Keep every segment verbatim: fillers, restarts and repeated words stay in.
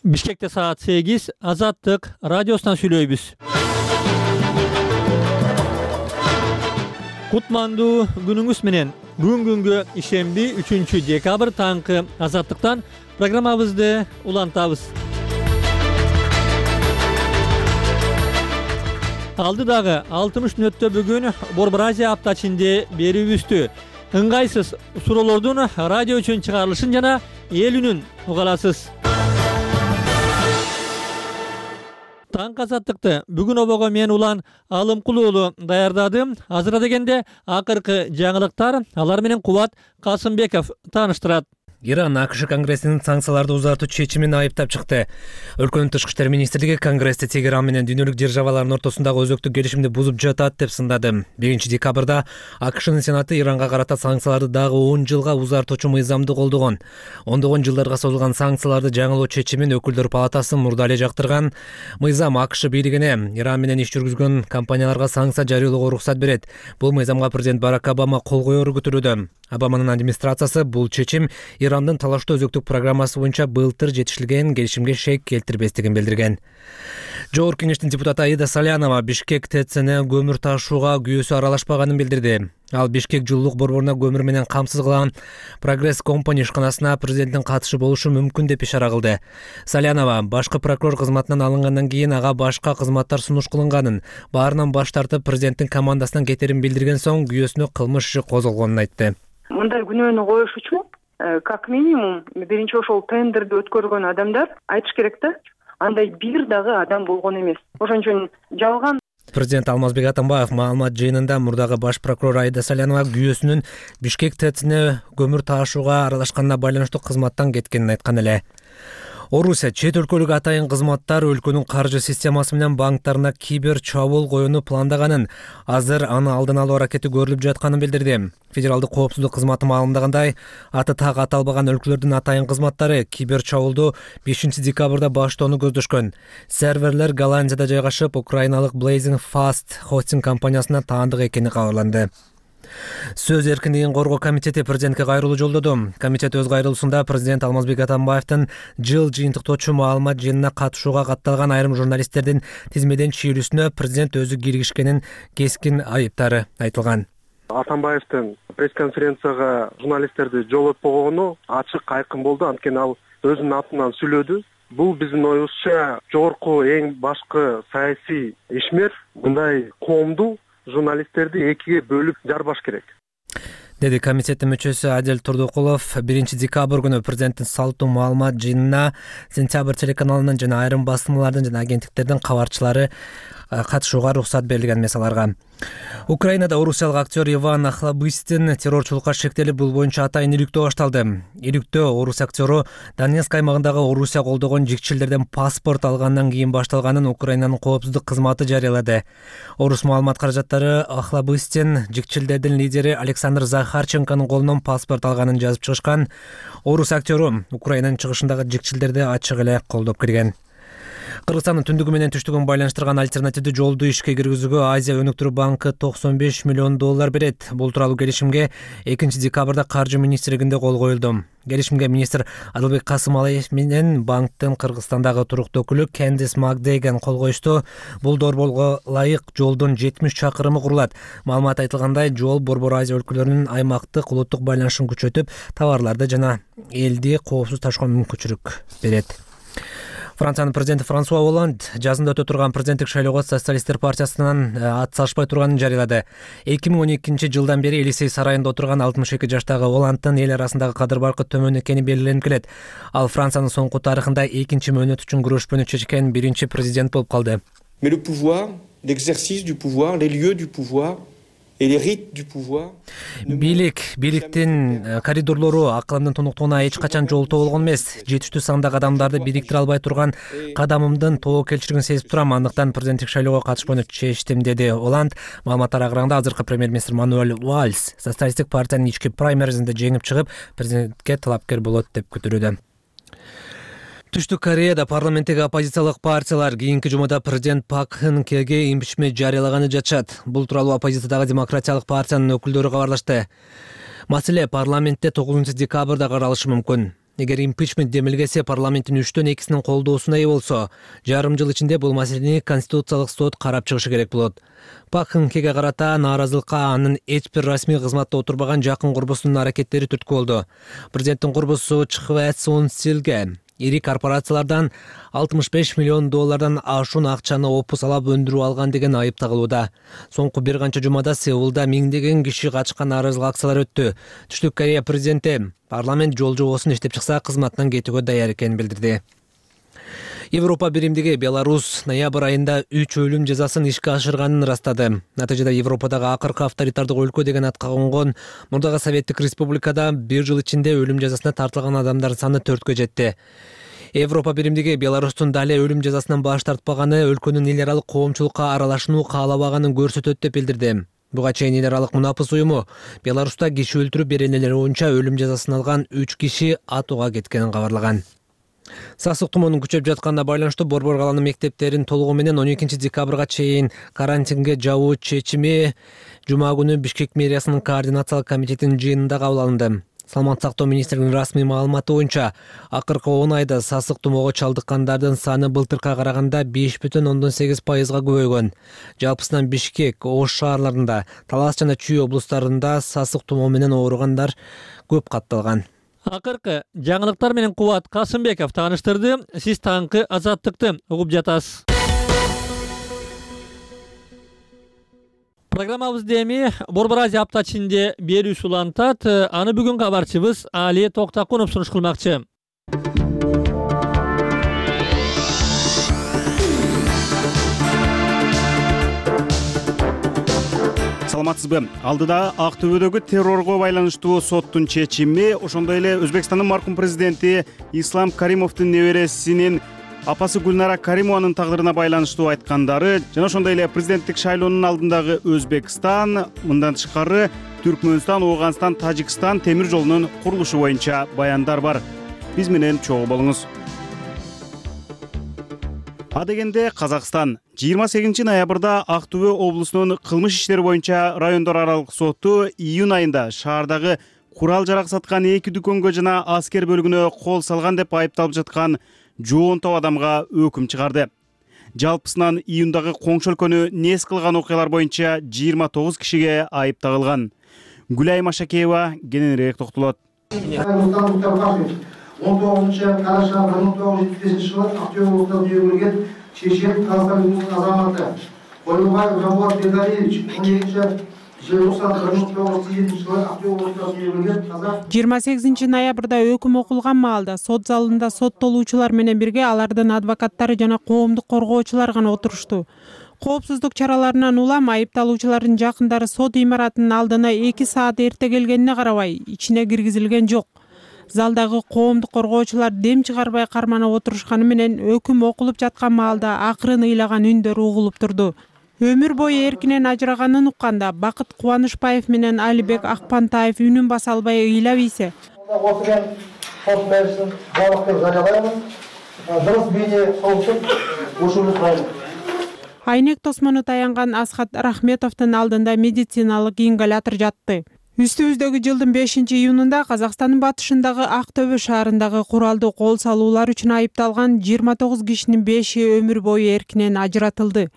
Бишкекте саат сегиз, Азаттык радиосунан сүйлөйбүз. Кутмандуу күнүңүз менен. Бүгүн күнгө ишемби үчүнчү декабрь таңкы Азаттыктан программабызды улантабыз. Алдыдагы алтымыш мүнөттө бүгүн Борбор Азия апта ичинде берүүбүздү ыңгайсыз суроолордун радио үчүн чыгарылышын жана эл үнүн уга аласыз. Таңкы Азаттыкты бүгүн обого мен Улан Алымкул уулу даярдадым. Азырда дегенде акыркы жаңылыктар алар менен Кубат Касымбеков тааныштырат. Иран АКШ Конгрессинин санкцияларды узартуу чечимин айыптап чыкты. Өлкөнүн тышкы иштер министрлиги Конгрессти Тегеран менен дүйнөлүк державалардын ортосундагы өзөктүк келишимди бузуп жатат деп сындады. биринчи декабрда АКШнын Сенаты Иранга карата санкцияларды дагы он жылга узартуучу мыйзамды колдогон. Ондогон жылдарга созулган санкцияларды жаңылоо чечимин өкүлдөр палатасы мурда эле жактырган. Мыйзам АКШ бийлигине Иран менен иш жүргүзгөн компанияларга санкция жарыялоого уруксат берет. Бул мыйзамга президент Барак Обама кол коеру күтүлүүдө. Обаманын администрациясы бул чечим Ирандын талаштуу өзөктүк программасы боюнча былтыр жетишилген келишимге шек келтирбестигин билдирген. Жогорку кеңештин депутаты Аида Салянова Бишкек ТЭЦне көмүр ташууга күйөөсү аралашпаганын билдирди. Ал Бишкек жылуулук борборуна көмүр менен камсыз кылган Прогресс компания ишканасына президенттин катышы болушу мүмкүн деп ишара кылды. Салянова башкы прокурор кызматынан алынгандан кийин ага башка кызматтар сунуш кылынганын, баарынан баш тартып президенттин командасынан кетерин билдирген соң күйөөсүнө кылмыш иши козголгонун айтты. Мындай күнөөнү коюш үчүн как минимум биринчи ошол тендерди өткөргөн адамдар айтыш керек да, андай бир дагы адам болгон эмес. Ошон үчүн жалган. Президент Алмазбек Атамбаев маалымат жыйынында мурдагы баш прокурор Аида Салянова күйөөсүнүн Бишкек ТЭЦне көмүр ташууга аралашканына байланыштуу кызматтан кеткенин айткан эле. Орусия чет өлкөлүк атайын кызматтар өлкөнүн каржы системасы менен банктарына кибер чабуул коюуну пландаганын, азыр аны алдын алуу аракети көрүлүп жатканын билдирди. Федералдык коопсуздук кызматы маалымдагандай, аты так аталбаган өлкөлөрдүн атайын кызматтары кибер чабуулду бешинчи декабрда баштоону көздөшкөн. Серверлер Голландияда жайгашып, украиналык Blazing Fast хостинг компаниясына таандык экени кабарланды. Сөз эркиндигин коргоо комитети президентке кайрылуу жолдоду. Комитет өз кайрылуусунда президент Алмазбек Атамбаевдин жыл жыйынтыктоочу маалымат жыйынына катышууга катталган айрым журналисттердин тизмеден чийилүүсүнө президент өзү киргишкенин кескин айыптары айтылган. Атамбаевдин пресс-конференцияга журналисттерди жолотпогону ачык айкын болду, анткени ал өзүнүн атынан сүйлөдү. Бул биздин оюбузча жогорку эң башкы саясий ишмер мындай коомду журналисттерди экиге бөлүп жарбаш керек, деди комитеттин мүчөсү Адел Турдукулов. биринчи декабрь күнү президенттин салттуу маалымат жыйынына Сентябрь телеканалынын жана айрым басылмалардын жана агенттиктердин кабарчылары катышууга уруксат берилген эмес аларга. Украинада орусиялык актер Иван Охлобыстин террорчулукка шектелип, бул боюнча атайын иликтөө башталды. Иликтөө орус актеру Донецк аймагындагы Орусия колдогон жикчилдерден паспорт алгандан кийин башталганын Украинанын коопсуздук кызматы жарыялады. Орус маалымат каражаттары Охлобыстин жикчилдердин лидери Александр Захарченконун колунан паспорт алганын жазып чыгышкан. Орус актеру Украинанын чыгышындагы жикчилдерди ачык эле колдоп кирген. Кыргызстандын түндүгү менен түштүгүн байланыштырган альтернативдүү жолду ишке киргизүүгө Азия өнүктүрүү банкы токсон беш миллион доллар берет. Бул тууралуу келишимге экинчи декабрда каржы министрлигинде кол коюлду. Келишимге министр Адылбек Касымалиев менен банктын Кыргызстандагы туруктуу өкүлү Кендис Макдейген кол коюшту. Бул долбоорго ылайык жолдун жетимиш чакырымы курулат. Маалымат айтылгандай, жол Борбор Азия өлкөлөрүнүн аймактык улуттук байланышын күчөтүп, товарларды жана элди коопсуз ташууга мүмкүнчүлүк берет. Франциянын президенти Франсуа Олланд жазында өтө турган президенттик шайлоого социалисттер партиясынан ат салышпай турганын жарыялады. эки миң он экинчи жылдан бери Элисей сарайында отурган алтымыш эки жаштагы Олландтын эл арасындагы кадыр баркы төмөн экени белгиленип келет. Ал Франциянын соңку тарыхында экинчи мөөнөт үчүн күрөшпөнү чечкен биринчи президент болуп калды. Mais le pouvoir, l'exercice du pouvoir, les lieux du pouvoir et les rites du pouvoir. Бийлик, бийликтин коридорлору акылымдын тунуктугуна эч качан жолтоо болгон эмес. Жетиштүү сандагы адамдарды бириктире албай турган кадамымдын тоокелчилигин сезип турам. Андыктан президенттик шайлоого катышпоону чечтим, деди Оланд. Маалыматтар агырганда азыркы премьер-министр Мануэль Вальс социалисттик партиянын ички праймеризинде жеңип чыгып, президентке талапкер болот деп күтүлүүдө. Түштүк Кореяда парламенттеги оппозициялык партиялар кийинки жумада президент Пак Кын Хеге импичмент жарыялаганы жатышат. Бул тууралуу оппозициядагы демократиялык партиянын өкүлдөрү кабарлашты. Маселе парламентте тогузунчу декабрда каралышы мүмкүн. Эгер импичмент демилгеси парламенттин үчтөн экисинин колдоосуна ээ болсо, жарым жыл ичинде бул маселени Конституциялык сот карап чыгышы керек болот. Пак Кын Хеге карата нааразылыкка анын эч бир расмий кызматта отурбаган жакын курбусунун аракеттери түрткү болду. Президенттин курбусу Чхве Сун Силге ири корпорациялардан алтымыш беш миллион доллардан ашуун акчаны опусалап өндүрүп алган деген айып тагылууда. Соңку бир канча жумада Сеулда миңдеген киши катышкан нааразылык акциялар өттү. Түштүк Корея президенти парламент жол жобосун иштеп чыкса кызматтан кетүүгө даяр экенин билдирди. Европа биримдиги Беларусь ноябрь айында үч өлүм жазасын ишке ашырганын ырастады. Натыйжада Европадагы акыркы авторитардык өлкө деген атка конгон мурдагы Советтик Республикада бир жыл ичинде өлүм жазасына тартылган адамдардын саны төрткө жетти. Европа биримдиги Беларустун дали өлүм жазасынан баш тартпаганы өлкөнүн эл аралык коомчулукка аралашууну каалабаганын көрсөтөт деп билдирди. Буга чейин эл аралык мунапыс уюму Беларуста киши өлтүрүү беренелери боюнча өлүм жазасын алган үч киши атууга кеткенин кабарлаган. Сасык тумоонун күчөп жатканына байланыштуу Борбор каланын мектептерин толугу менен он экинчи декабрга чейин карантинге жабуу чечими жума күнү Бишкек мэриясынын координациялык комитетинин жыйынында кабыл алынды. Саламаттык сактоо министринин расмий маалыматы боюнча, акыркы он айда сасык тумоого чалдыккандардын саны былтыркыга караганда беш бүтүн ондон сегиз пайызга көбөйгөн. Жалпысынан Бишкек, Ош шаарларында, Талас жана Чүй облустарында сасык тумоо менен ооругандар көп катталган. Акыркы жаңылыктар менен Кубат Касымбеков тааныштырды. Сиз таңкы азаттыкты угуп жатасыз. Программабызды эми Борбор Азия апта ичинде берүүсү улантат. Аны бүгүн кабарчыбыз Али Токтакунов сунуш кылмакчы. Саламатсызбы? Алдыда Ак Төбөдөгү террорго байланыштуу соттун чечими, ошондой эле Өзбекстандын маркум президенти Ислам Каримовдун небересинин апасы Гүлнара Каримованын тагдырына байланыштуу айткандары жана ошондой эле президенттик шайлоонун алдындагы Өзбекстан, мындан тышкары Түркмөнстан, Ооганстан, Тажикстан темир жолунун курулушу боюнча баяндар бар. Биз менен чогуу болуңуз. Адегенде Казакстан жыйырма сегизинчи ноябрда Ак Төбө облусунун кылмыш иштери боюнча райондор аралык соту июнь айында шаардагы курал жарак саткан эки дүкөнгө жана аскер бөлүгүнө кол салган деп айыпталып жаткан жоон топ адамга өкүм чыгарды. Жалпысынан июндагы коңшу өлкөнү нес кылган окуялар боюнча жыйырма тогуз кишиге айып тагылган. Гүлай Машакеева кененирээк токтолот. он тогузунчу караша бир миң тогуз жүз жетимиш бешинчи жылы Актөбө облусунда дүйнөгө келген чечен Казакстан Республикасынын азаматы Койлубаев Жамбулат Бердалиевич он экинчи желтоқсан бир миң тогуз жүз отуз жетинчи жылы Актөбө облусунда дүйнөгө келген казак. жыйырма сегизинчи ноябрда өкүм окулган маалда сот залында соттолуучулар менен бирге алардын адвокаттары жана коомдук коргоочулар гана отурушту. Коопсуздук чараларынан улам айыпталуучулардын жакындары сот имаратынын алдына эки саат эрте келгенине карабай ичине киргизилген жок. Залдагы коомдук коргоочулар дем чыгарбай карманып отурушканы менен өкүм окулуп жаткан маалда акырын ыйлаган үндөр угулуп турду. Өмүр бою эркинен ажыраганын укканда Бакыт Кубанышбаев менен Алибек Акпантаев үнүн баса албай ыйлап ийсе. Осуган сот беришин барлык деп жарыялаймын. Дурус бийне коомчулук ушуну сурайм. Айнек тосмону таянган Асхат Рахметовдун алдында медициналык ингалятор жатты. Үстүбүздөгү жылдын бешинчи июнунда Казакстандын батышындагы Ак Төбө шаарындагы куралдуу кол салуулар үчүн айыпталган жыйырма тогуз кишинин беши өмүр бою эркинен ажыратылды.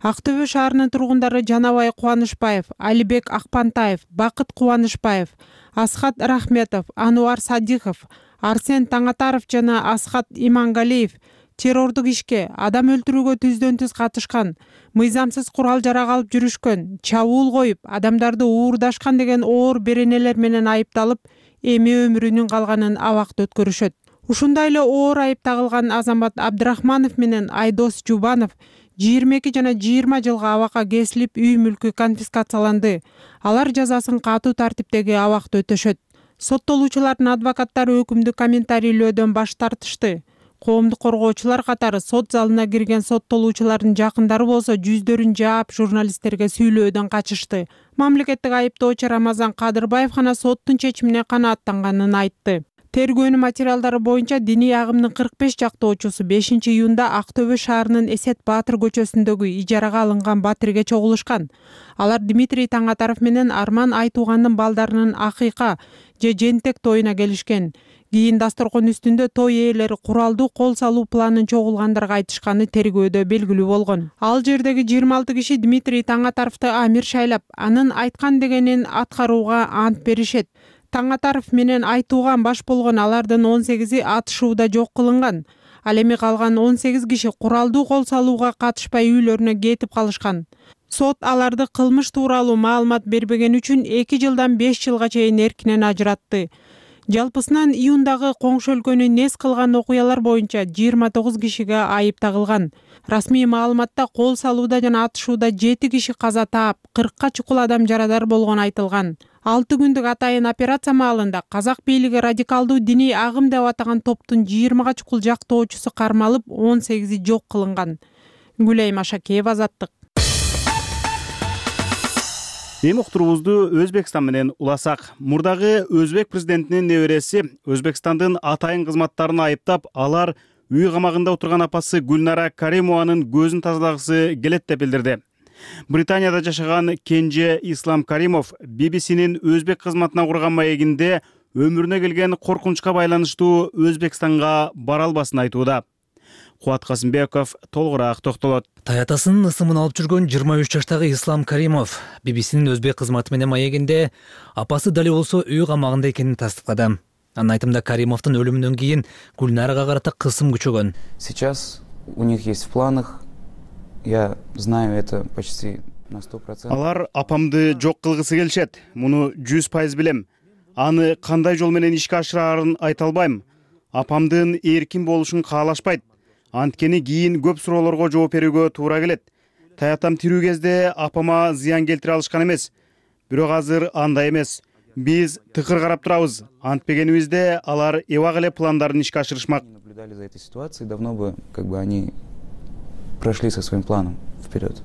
Ак Төбө шаарынын тургундары Жанабай Кубанышбаев, Алибек Акпантаев, Бакыт Кубанышбаев, Асхат Рахметов, Ануар Садихов, Арсен Таңатаров жана Асхат Имангалиев террордук ишке, адам өлтүрүүгө түздөн түз катышкан, мыйзамсыз курал жарак алып жүрүшкөн, чабуул коюп, адамдарды уурдашкан деген оор беренелер менен айыпталып, эми өмүрүнүн калганын абакта өткөрүшөт. Ушундай эле оор айып тагылган Азамат Абдрахманов менен Айдос Жубанов жыйырма эки жана жыйырма жылга абакка кесилип, үй мүлкү конфискацияланды. Алар жазасын катуу тартиптеги абакта өтөшөт. Соттолуучулардын адвокаттары өкүмдү комментарийлөөдөн баш тартышты. Коомдук коргоочулар катары сот залына кирген соттолуучулардын жакындары болсо жүздөрүн жаап журналисттерге сүйлөөдөн качышты. Мамлекеттик айыптоочу Рамазан Кадырбаев гана соттун чечимине канааттанганын айтты. Тергөөнүн материалдары боюнча диний агымдын кырк беш жактоочусу бешинчи июнда Ак Төбө шаарынын Эсет Баатыр көчөсүндөгү ижарага алынган батирге чогулушкан. Алар Дмитрий Таңатаров менен Арман Айтуугандын балдарынын акыйка же жентек тоюна келишкен. Кийин дасторкон үстүндө той ээлери куралдуу кол салуу планын чогулгандарга айтышканы тергөөдө белгилүү болгон. Ал жердеги жыйырма алты киши Дмитрий Таңатаровду амир шайлап, анын айткан дегенин аткарууга ант беришет. Таңатаров менен Айтууган баш болгон алардын он сегизи атышууда жок кылынган. Ал эми калган он сегиз киши куралдуу кол салууга катышпай үйлөрүнө кетип калышкан. Сот аларды кылмыш тууралуу маалымат бербеген үчүн эки жылдан беш жылга чейин эркинен ажыратты. Жалпысынан июндагы коңшу өлкөнү нес кылган окуялар боюнча жыйырма тогуз кишиге айып тагылган. Расмий маалыматта кол салууда жана атышууда жети киши каза таап, кыркка чукул адам жарадар болгону айтылган. алты күндүк атайын операция маалында казак бийлиги радикалдуу диний агым деп атаган топтун жыйырмага чукул жактоочусу кармалып, он сегизи жок кылынган. Гүлай Машакеева, Азаттык. Эми уктуруубузду Өзбекстан менен уласак. Мурдагы өзбек президентинин небереси Өзбекстандын атайын кызматтарын айыптап, алар үй камагында отурган апасы Гүлнара Каримованын көзүн тазалагысы келет деп билдирди. Британияда жашаган Кенже Ислам Каримов би би синин өзбек кызматына курган маегинде өмүрүнө келген коркунучка байланыштуу Өзбекстанга бара албасын айтууда. Кубат Касымбеков толугураак токтолот. Таятасынын ысымын алып жүргөн жыйырма үч жаштагы Ислам Каримов би би синин өзбек кызматы менен маегинде апасы дали болсо үй камагында экенин тастыктады. Анын айтымында Каримовдун өлүмүнөн кийин Гүлнарага карата кысым күчөгөн. Сейчас у них есть в планах, я знаю это почти на сто процентов. Алар апамды жок кылгысы келишет. Муну жүз пайыз билем. Аны кандай жол менен ишке ашырарын айта албайм. Апамдын эркин болушун каалашпайт. Анткени кийин көп суроолорго жооп берүүгө туура келет. Таятам тирүү кезде апама зыян келтире алышкан эмес. Бирок азыр андай эмес. Биз тыкыр карап турабыз. Антпегенибизде алар эбак эле пландарын ишке ашырышмак. Наблюдали за этой ситуацией, давно бы как бы они прошли со своим планом вперед.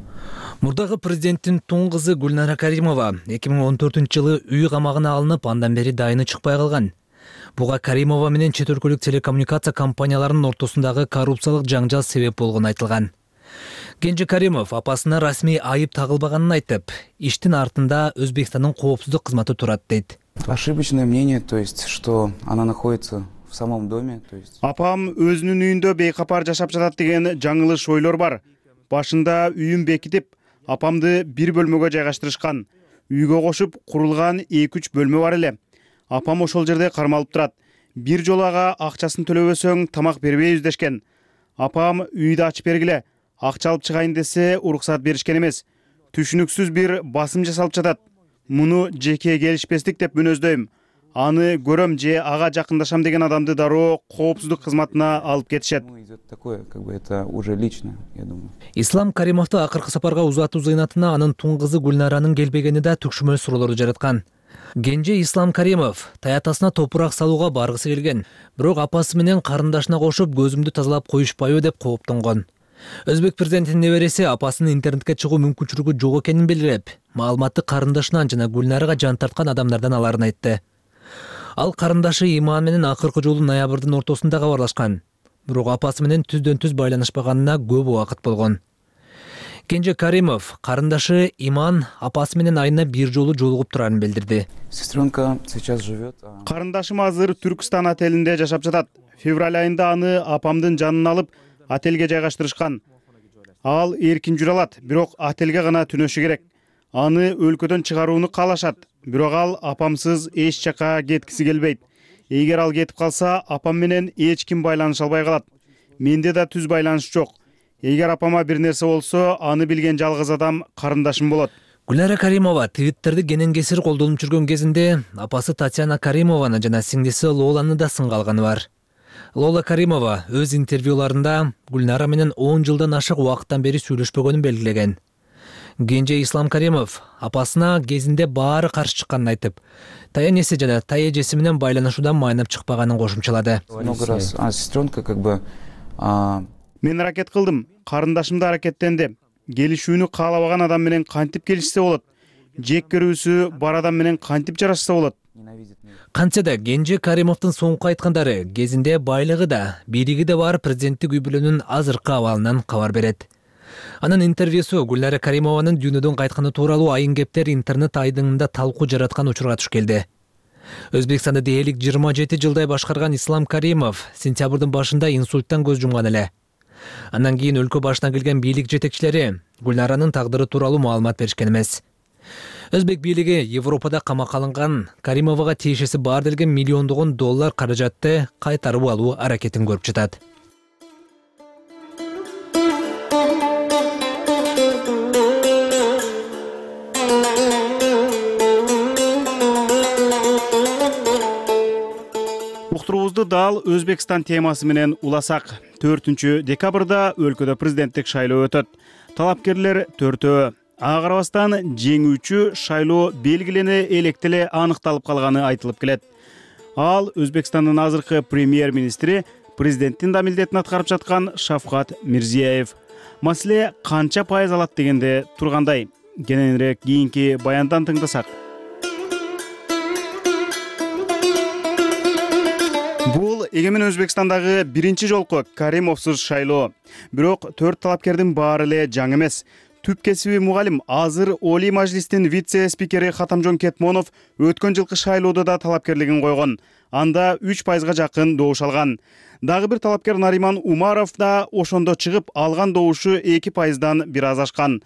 Мурдагы президенттин тун кызы Гүлнара Каримова эки миң он төртүнчү жылы үй камагына алынып, андан бери дайыны чыкпай калган. Буга Каримова менен чет өлкөлүк телекоммуникация компанияларынын ортосундагы коррупциялык жаңжал себеп болгону айтылган. Кенже Каримов апасына расмий айып тагылбаганын айтып, иштин артында Өзбекстандын коопсуздук кызматы турат дейт. Ошибочное мнение, то есть, что она находится в самом доме, то есть. Апам өзүнүн үйүндө бейкапар жашап жатат деген жаңылыш ойлор бар. Башында үйүн бекитип, апамды бир бөлмөгө жайгаштырышкан. Үйгө кошуп курулган эки үч бөлмө бар эле. Апам ошол жерде кармалып турат. Бир жолу ага акчасын төлөбөсөң тамак бербейбиз дешкен. Апам үйдү ачып бергиле, акча алып чыгайын десе уруксат беришкен эмес. Түшүнүксүз бир басым жасалып жатат. Муну жеке келишпестик деп мүнөздөйм. Аны көрөм же ага жакындашам деген адамды дароо коопсуздук кызматына алып кетишет. Такое, как бы это уже лично, я думаю. Ислам Каримовду акыркы сапарга узатуу зыйнатына анын тун кызы Гүлнаранын келбегени да түкшүмөл суроолорду жараткан. Кенже Ислам Каримов таятасына топурак салууга баргысы келген, бирок апасы менен карындашына кошуп көзүмдү тазалап коюшпайбы деп кооптонгон. Өзбек президентинин небереси апасынын интернетке чыгуу мүмкүнчүлүгү жок экенин белгилеп, маалыматты карындашынан жана Гүлнарага жан тарткан адамдардан аларын айтты. Ал карындашы Иман менен акыркы жолу ноябрдын ортосунда кабарлашкан, бирок апасы менен түздөн түз байланышпаганына көп убакыт болгон. Кенже Каримов карындашы Иман апасы менен айына бир жолу жолугуп турарын билдирди. Сестренка сейчас живет. Карындашым азыр Түркстан отелинде жашап жатат. Февраль айында аны апамдын жанына алып отелге жайгаштырышкан. Ал эркин жүрө алат, бирок отелге гана түнөшү керек. Аны өлкөдөн чыгарууну каалашат, бирок ал апамсыз эч жака кеткиси келбейт. Эгер ал кетип калса, апам менен эч ким байланыша албай калат. Менде да түз байланыш жок. Эгер апама бир нерсе болсо, аны билген жалгыз адам карындашым болот. Гүлнара Каримова твиттерди кенен кесир колдонуп жүргөн кезинде апасы Татьяна Каримованы жана сиңдиси Лоланы да сынга алганы бар. Лола Каримова өз интервьюларында Гүлнара менен он жылдан ашык убакыттан бери сүйлөшпөгөнүн белгилеген. Кенже Ислам Каримов апасына кезинде баары каршы чыкканын айтып, таянеси жана тая эжеси менен байланышуудан майнап чыкпаганын кошумчалады. Много раз, а сестренка как бы... Мен аракет кылдым, карындашым да аракеттенди. Келишүүнү каалабаган адам менен кантип келишсе болот? Жек көрүүсү бар адам менен кантип жарашса болот? Кантсе да Кенже Каримовдун соңку айткандары кезинде байлыгы да, бийлиги да бар президенттик үй бүлөнүн азыркы абалынан кабар берет. Анын интервьюсу Гүлнара Каримованын дүйнөдөн кайтканы тууралуу айын кептер интернет айдыңында талкуу жараткан учурга туш келди. Өзбекстанды дээрлик жыйырма жети жылдай башкарган Ислам Каримов сентябрдын башында инсульттан көз жумган эле. Андан кийин өлкө башына келген бийлик жетекчилери Гүлнаранын тагдыры тууралуу маалымат беришкен эмес. Өзбек бийлиги Европада камакка алынган Каримовага тиешеси бар делген миллиондогон доллар каражатты кайтарып алуу аракетин көрүп жатат. Уктуруубузду дал Өзбекстан темасы менен уласак. төртүнчү декабрда өлкөдө президенттик шайлоо өтөт. Талапкерлер төртөө. Ага карабастан жеңүүчү шайлоо белгилене электе эле аныкталып калганы айтылып келет. Ал Өзбекстандын азыркы премьер-министри, президенттин да милдетин аткарып жаткан Шавкат Мирзиеев. Маселе канча пайыз алат дегенде тургандай. Кененирээк кийинки баяндан тыңдасак. Бул эгемен Өзбекстандагы биринчи жолку Каримовсуз шайлоо. Бирок төрт талапкердин баары эле жаңы эмес. Түп кесиби мугалим, азыр Олий Мажлистин вице-спикери Хатамжон Кетмонов өткөн жылкы шайлоодо да талапкерлигин койгон. Анда үч пайызга жакын добуш алган. Дагы бир талапкер Нариман Умаров да ошондо чыгып, алган добушу эки пайыздан бир аз ашкан.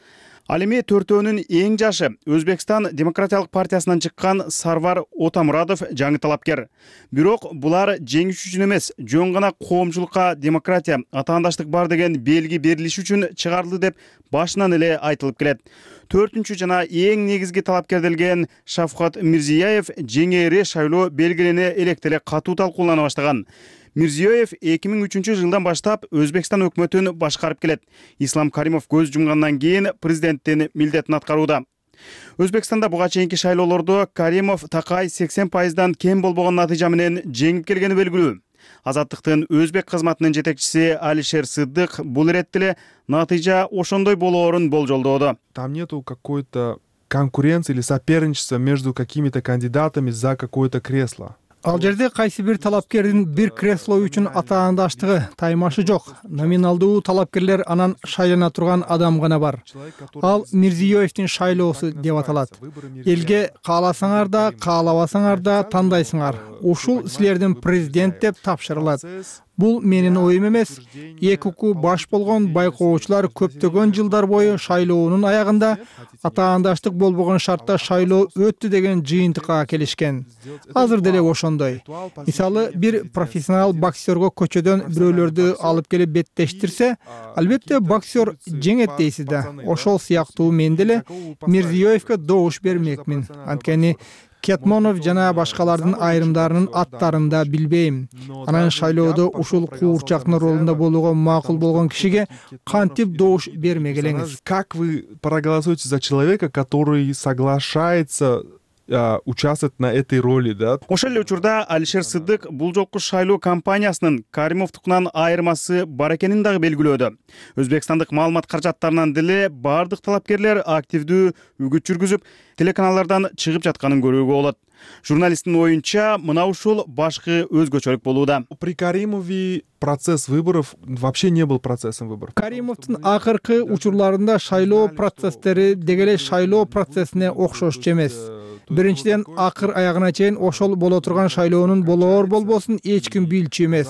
Ал эми төртөөнүн эң жашы Өзбекстан Демократиялык партиясынан чыккан Сарвар Отамурадов жаңы талапкер. Бирок булар жеңиш үчүн эмес, жөн гана коомчулукка демократия, атаандаштык бар деген белги берилиши үчүн чыгарылды деп башынан эле айтылып келет. Төртүнчү жана эң негизги талапкер делген Шавкат Мирзиеев жеңээри шайлоо белгилене электе эле катуу талкуулана баштаган. Мирзиеев эки миң үчүнчү жылдан баштап Өзбекстан өкмөтүн башкарып келет. Ислам Каримов көз жумгандан кийин президенттин милдетин аткарууда. Өзбекстанда буга чейинки шайлоолордо Каримов такай сексен пайыздан кем болбогон натыйжа менен жеңип келгени белгилүү. Азаттыктын өзбек кызматынын жетекчиси Алишер Сыддык бул иретте эле натыйжа ошондой болоорун болжолдоодо. Там нету какой-то конкуренции или соперничества между какими-то кандидатами за какое-то кресло. Ал жерде кайсы бир талапкердин бир кресло үчүн атаандаштыгы, таймашы жок. Номиналдуу талапкерлер анан шайлана турган адам гана бар. Ал Мирзиеевдин шайлоосу деп аталат. Элге кааласаңар да, каалабасаңар да тандайсыңар. Ушул силердин президент деп тапшырылат. Бул менин оюм эмес. ЭКУ баш болгон байкоочулар көптөгөн жылдар бою шайлоонун аягында атаандаштык болбогон шартта шайлоо өттү деген жыйынтыкка келишкен. Азыр деле ошондой. Мисалы, бир профессионал боксерго көчөдөн бирөөлөрдү алып келип беттештирсе, албетте боксер жеңет дейсиз да. Ошол сыяктуу мен деле Мирзиеевке добуш бермекмин. Анткени Кетмонов жана башкалардын айрымдарынын аттарын да билбейм. Анан шайлоодо ушул куурчактын ролунда болууга макул болгон кишиге кантип добуш бермек элеңиз? Как вы проголосуете за человека, который соглашается участвовать на этой роли, да? Ошол эле учурда Алишер Сыддык бул жолку шайлоо кампаниясынын Каримовдукунан айырмасы бар экенин дагы белгилөөдө. Өзбекстандык маалымат каражаттарынан деле бардык талапкерлер активдүү үгүт жүргүзүп, телеканалдардан чыгып жатканын көрүүгө болот. Журналисттин оюнча, мына ушул башкы өзгөчөлүк болууда. При Каримове процесс выборов вообще не был процессом выборов. Каримовдун акыркы учурларында шайлоо процесстери дегеле шайлоо процессине окшош эмес. Биринчиден, акыр аягына чейин ошол боло турган шайлоонун болоор болбосун эч ким билчү эмес.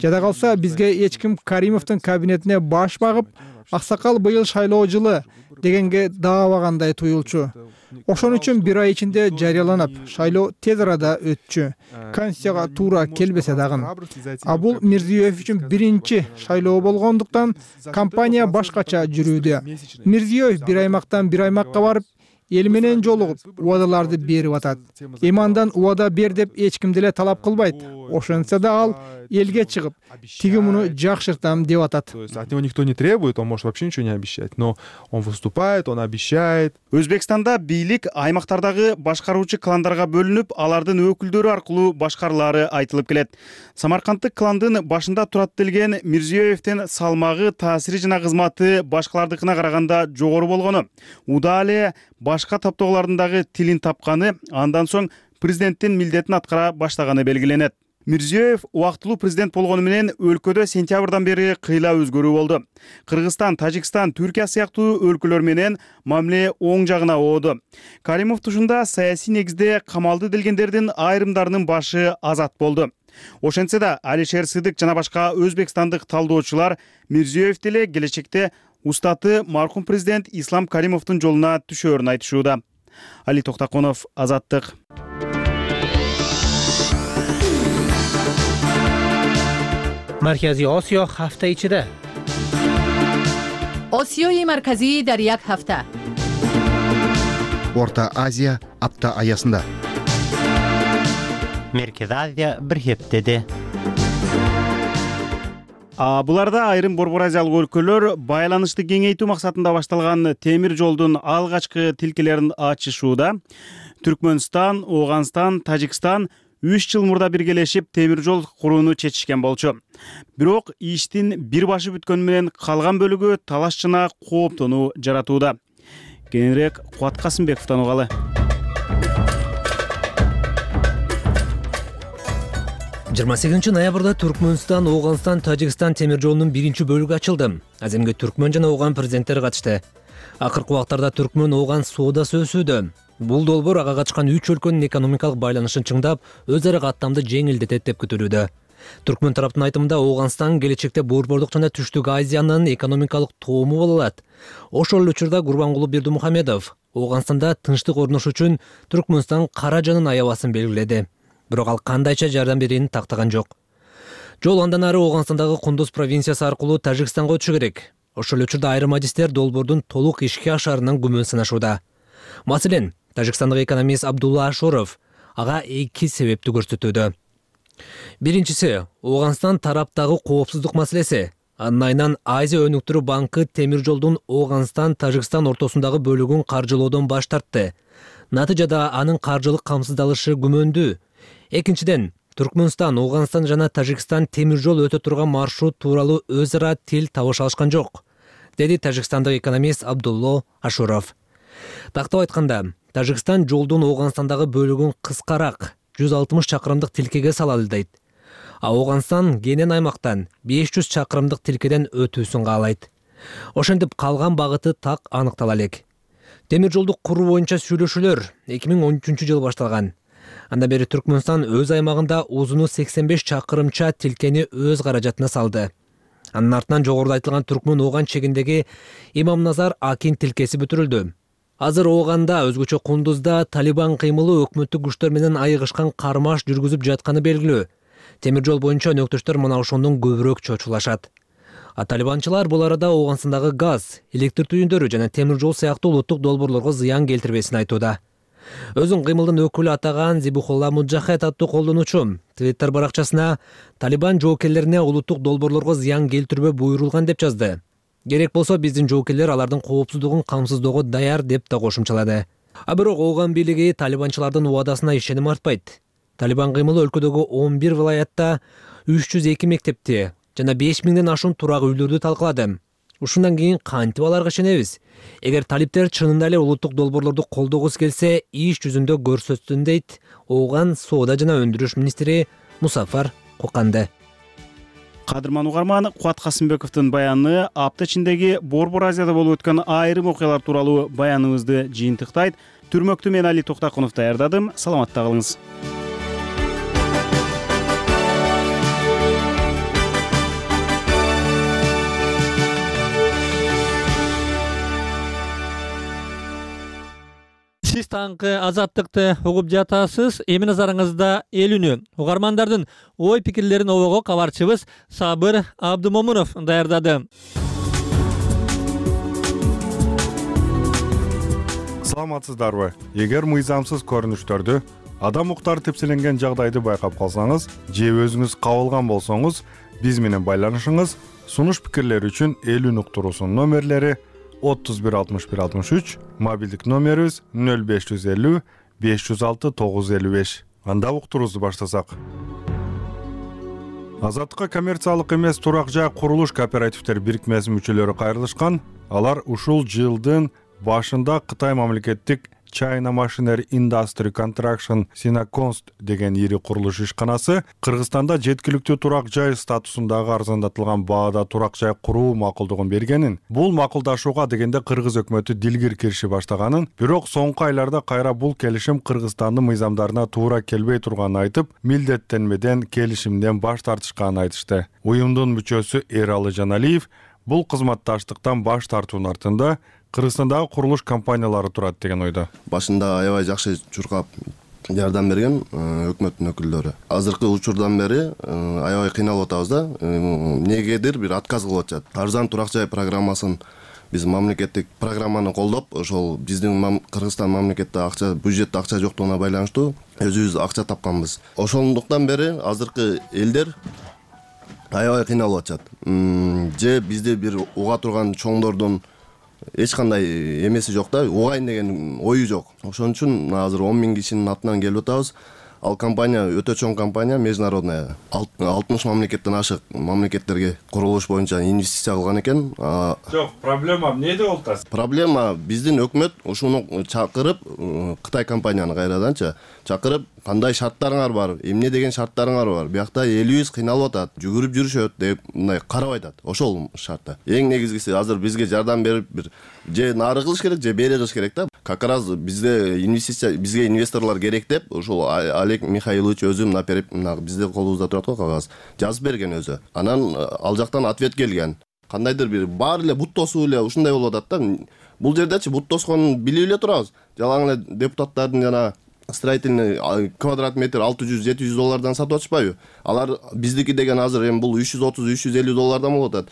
Жада калса, бизге эч ким Каримовдун кабинетине баш багып, аксакал быйыл шайлоо жылы дегенге даабагандай туюлчу. Ошон үчүн бир ай ичинде жарыяланып, шайлоо тез арада өтчү. Конституцияга туура келбесе дагы. А бул Мирзиеев үчүн биринчи шайлоо болгондуктан компания башкача жүрүүдө. Мирзиеев бир аймактан бир аймакка барып, эл менен жолугуп, убадаларды берип атат. Эми андан убада бер деп эч ким деле талап кылбайт. Ошентсе да ал элге чыгып, тиги муну жакшыртам деп атат. То есть от него никто не требует, он может вообще ничего не обещать, но он выступает, он обещает. Өзбекстанда бийлик аймактардагы башкаруучу кландарга бөлүнүп, алардын өкүлдөрү аркылуу башкарылары айтылып келет. Самарканддык кландын башында турат делген Мирзиеевдин салмагы, таасири жана кызматы башкалардыкына караганда жогору болгону, уда эле башка топтогулардын дагы тилин тапканы, андан соң президенттин милдетин аткара баштаганы белгиленет. Мирзиёев убактылуу президент болгону менен өлкөдө сентябрдан бери кыйла өзгөрүү болду. Кыргызстан, Тажикстан, Түркия сыяктуу өлкөлөр менен мамиле оң жагына ооду. Каримов тушунда саясий негизде камалды делгендердин айрымдарынын башы азат болду. Ошентсе да Алишер Сыдык жана башка өзбекстандык талдоочулар Мирзиёев деле келечекте устаты маркум президент Ислам Каримовдун жолуна түшөөрүн айтышууда. Али Токтаконов, Азаттык. Маркази Осиё ҳафта ичида. Осиёи марказӣ дар як ҳафта. Орта Азия апта аясында. Меркези Азия бир хептеде. А буларда айрым Борбор Азиялык өлкөлөр байланышты кеңейтүү максатында башталган темир жолдун алгачкы тилкелерин ачышууда. Түркмөнстан, Ооганстан, Тажикстан үч жыл мурда биргелешип темир жол курууну чечишкен болчу. Бирок иштин бир башы бүткөнү менен калган бөлүгү талаш жана кооптонуу жаратууда. Кененирээк Кубат Касымбековдон угалы. жыйырма сегизинчи ноябрда Түркмөнстан, Ооганстан, Тажикстан темир жолунун биринчи бөлүгү ачылды. Аземге Түркмөн жана Ооган президенттери катышты. Акыркы убактарда Түркмөн Ооган соодасы өсүүдө. Бул долбоор ага катышкан үч өлкөнүн экономикалык байланышын чыңдап, өз ара каттамды жеңилдетет деп күтүлүүдө. Түркмөн тараптын айтымында Ооганстан келечекте Борбордук жана Түштүк Азиянын экономикалык тоому боло алат. Ошол эле учурда Гурбангулы Бердимухамедов Ооганстанда тынчтык орнош үчүн Түркмөнстан каражанын аябасын белгиледи. Бирок ал кандайча жардам берүүнү тактаган жок. Жол андан ары Ооганстандагы Кундуз провинциясы аркылуу Тажикстанга өтүшү керек. Ошол эле учурда айрым адистер долбоордун толук ишке ашарынан күмөн санашууда. Маселен, Тажикстандык экономист Абдулла Ашуров ага эки себепти көрсөтүүдө. Биринчиси, Ооганстан тараптагы коопсуздук маселеси. Анын айынан Азия өнүктүрүү банкы темир жолдун Ооганстан, Тажикстан ортосундагы бөлүгүн каржылоодон баш тартты. Натыйжада анын каржылык камсыздалышы күмөндүү. Экинчиден, Түркмөнстан, Ооганстан жана Тажикстан темир жол өтө турган маршрут тууралуу өз ара тил табыша алышкан жок, деди тажикстандык экономист Абдулла Ашуров. Тактап айтканда, Тажикстан жолдун Ооганстандагы бөлүгүн кыскараак жүз алтымыш чакырымдык тилкеге салалы дейт. А Ооганстан кенен аймактан беш жүз чакырымдык тилкеден өтүүсүн каалайт. Ошентип калган багыты так аныктала элек. Темир жолду куруу боюнча сүйлөшүүлөр эки миң он үчүнчү жылы башталган. Анда бери Түркмөнстан өз аймагында узуну сексен беш чакырымча тилкени өз каражатына салды. Анын артынан жогоруда айтылган Түркмөн Ооган чегиндеги Имамназар Акин тилкеси бүтүрүлдү. Азыр Ооганда, өзгөчө Кундузда Талибан кыймылы өкмөттүк күчтөр менен айыгышкан кармаш жүргүзүп жатканы белгилүү. Темир жол боюнча өнөктөштөр мына ошондон көбүрөөк чочулашат. А талибанчылар бул арада Ооганстандагы газ, электр түйүндөрү жана темир жол сыяктуу улуттук долбоорлорго зыян келтирбесин айтууда. Өзүн кыймылдын өкүлү атаган Зибухулла Муджахет аттуу колдонуучу Twitter баракчасына Талибан жоокерлерине улуттук долбоорлорго зыян келтирбөө буйрулган деп жазды. Керек болсо биздин жоокерлер алардын коопсуздугун камсыздоого даяр деп да кошумчалады. А бирок Ооган бийлиги талибанчылардын убадасына ишеним артпайт. Талибан кыймылы өлкөдөгү он бир вилаятта үч жүз эки мектепти жана беш миңден ашуун турак үйлөрдү талкалады. Ушундан кийин кантип аларга ишенебиз? Эгер талиптер чынында эле улуттук долбоорлорду колдогусу келсе, иш жүзүндө көрсөтсүн дейт Ооган соода жана өндүрүш министри Мусафар Коканды. Кадырман угарман, Кубат Касымбековдун баяны апта ичиндеги Борбор Азияда болуп өткөн айрым окуялар тууралуу баяныбызды жыйынтыктайт. Түрмөктү мен Али Токтакунов даярдадым. Саламатта калыңыз. Сиз таңкы азаттыкты угуп жатасыз. Эми назарыңызда эл үнү. Угармандардын ой пикирлерин обого кабарчыбыз Сабыр Абдымомунов даярдады. Саламатсыздарбы? Эгер мыйзамсыз көрүнүштөрдү, адам укуктары тепселенген жагдайды байкап калсаңыз, же өзүңүз кабылган болсоңуз, биз менен байланышыңыз. Сунуш пикирлер үчүн эл үн уктуруусунун номерлери отуз бир алтымыш бир алтымыш үч, мобилдик номерибиз нөл беш жүз элүү беш жүз алты тогуз жүз элүү беш. Анда уктуруубузду баштасак. Азаттыкка коммерциялык эмес турак жай курулуш кооперативдер бирикмесинин мүчөлөрү кайрылышкан. Алар ушул жылдын башында Кытай мамлекеттик China Machinery Industry Contraction Sinaconst деген ири курулуш ишканасы Кыргызстанда жеткиликтүү турак жай статусундагы арзандатылган баада турак жай куруу макулдугун бергенин, бул макулдашууга дегенде Кыргыз өкмөтү дилгир кириши баштаганын, бирок соңку айларда кайра бул келишим Кыргызстандын мыйзамдарына туура келбей турганын айтып, милдеттенмеден келишимден баш тартышканын айтышты. Уюмдун мүчөсү Эралы Жаналиев бул кызматташтыктан баш тартуунун артында Кыргызстандагы курулуш компаниялары турат деген ойдо. Башында аябай жакшы чуркап жардам берген өкмөттүн өкүлдөрү. Азыркы учурдан бери аябай кыйналып атабыз да. Эмнегедир бир отказ кылып атышат. Арзан турак жай программасын биз мамлекеттик программаны колдоп, ошол биздин Кыргызстан мамлекетте акча, бюджетте акча жоктугуна байланыштуу өзүбүз акча тапканбыз. Ошондуктан бери азыркы элдер аябай кыйналып атышат. Же бизде бир уга турган чоңдордун эч кандай эмеси жок да, угайын деген ою жок. Ошон үчүн азыр он миң кишинин атынан келип атабыз. Ал компания өтө чоң компания, международная. алтымыш мамлекеттен ашык мамлекеттерге курулуш боюнча инвестиция кылган экен. Жок, проблема эмнеде болуп атат? Проблема биздин өкмөт ушуну чакырып, Кытай компанияны кайраданчы чакырып, кандай шарттарыңар бар, эмне деген шарттарыңар бар, биякта элибиз кыйналып атат, жүгүрүп жүрүшөт деп мындай карап айтат. Ошол шартта. Эң негизгиси азыр бизге жардам берип бир же нары кылыш керек, же бери кылыш керек да. Как раз бизде инвестиция, бизге инвесторлор керек деп, ошол Олег Михайлович өзү мына берип, мына бизде колубузда турат го кагаз. Жазып берген өзү. Анан ал жактан ответ келген. Кандайдыр бир баары эле бут тосуу эле ушундай болуп атат да. Бул жердечи бут тосконун билип эле турабыз. Жалаң эле депутаттардын жана строительный квадрат метр алты жүз жети жүз доллардан сатып атышпайбы? Алар биздики деген азыр эми бул үч жүз отуз үч жүз элүү доллардан болуп атат.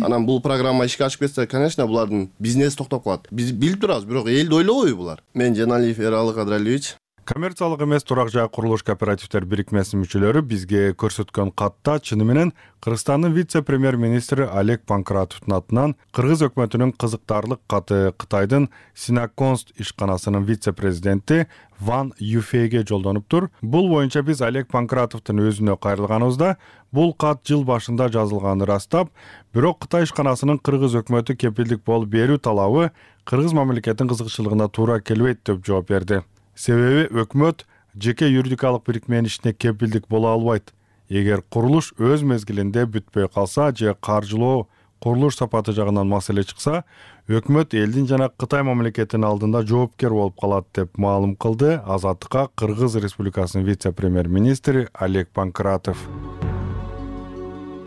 Анан бул программа ишке ашып кетсе, конечно, булардын бизнеси токтоп калат. Биз билип турабыз, бирок элди ойлобойбу булар? Мен Жаналиев Эралы Кадралиевич. Коммерциялык эмес турак жай курулуш кооперативдер бирикмесинин мүчөлөрү бизге көрсөткөн катта чыны менен Кыргызстандын вице-премьер-министри Олег Панкратовдун атынан Кыргыз өкмөтүнүн кызыктарлык каты Кытайдын Синаконст ишканасынын вице-президенти Ван Юфейге жолдонуптур. Бул боюнча биз Олег Панкратовдун өзүнө кайрылганыбызда бул кат жыл башында жазылганын ырастап, бирок Кытай ишканасынын Кыргыз өкмөтү кепилдик болуп берүү талабы Кыргыз мамлекетинин кызыкчылыгына туура келбейт деп жооп берди. Себеби өкмөт жеке юридикалык бирикменин ишине кепилдик боло албайт. Эгер курулуш өз мезгилинде бүтпөй калса же каржылоо, курулуш сапаты жагынан маселе чыкса, өкмөт элдин жана Кытай мамлекетинин алдында жоопкер болуп калат деп маалым кылды Азаттыкка Кыргыз Республикасынын вице-премьер-министри Олег Панкратов.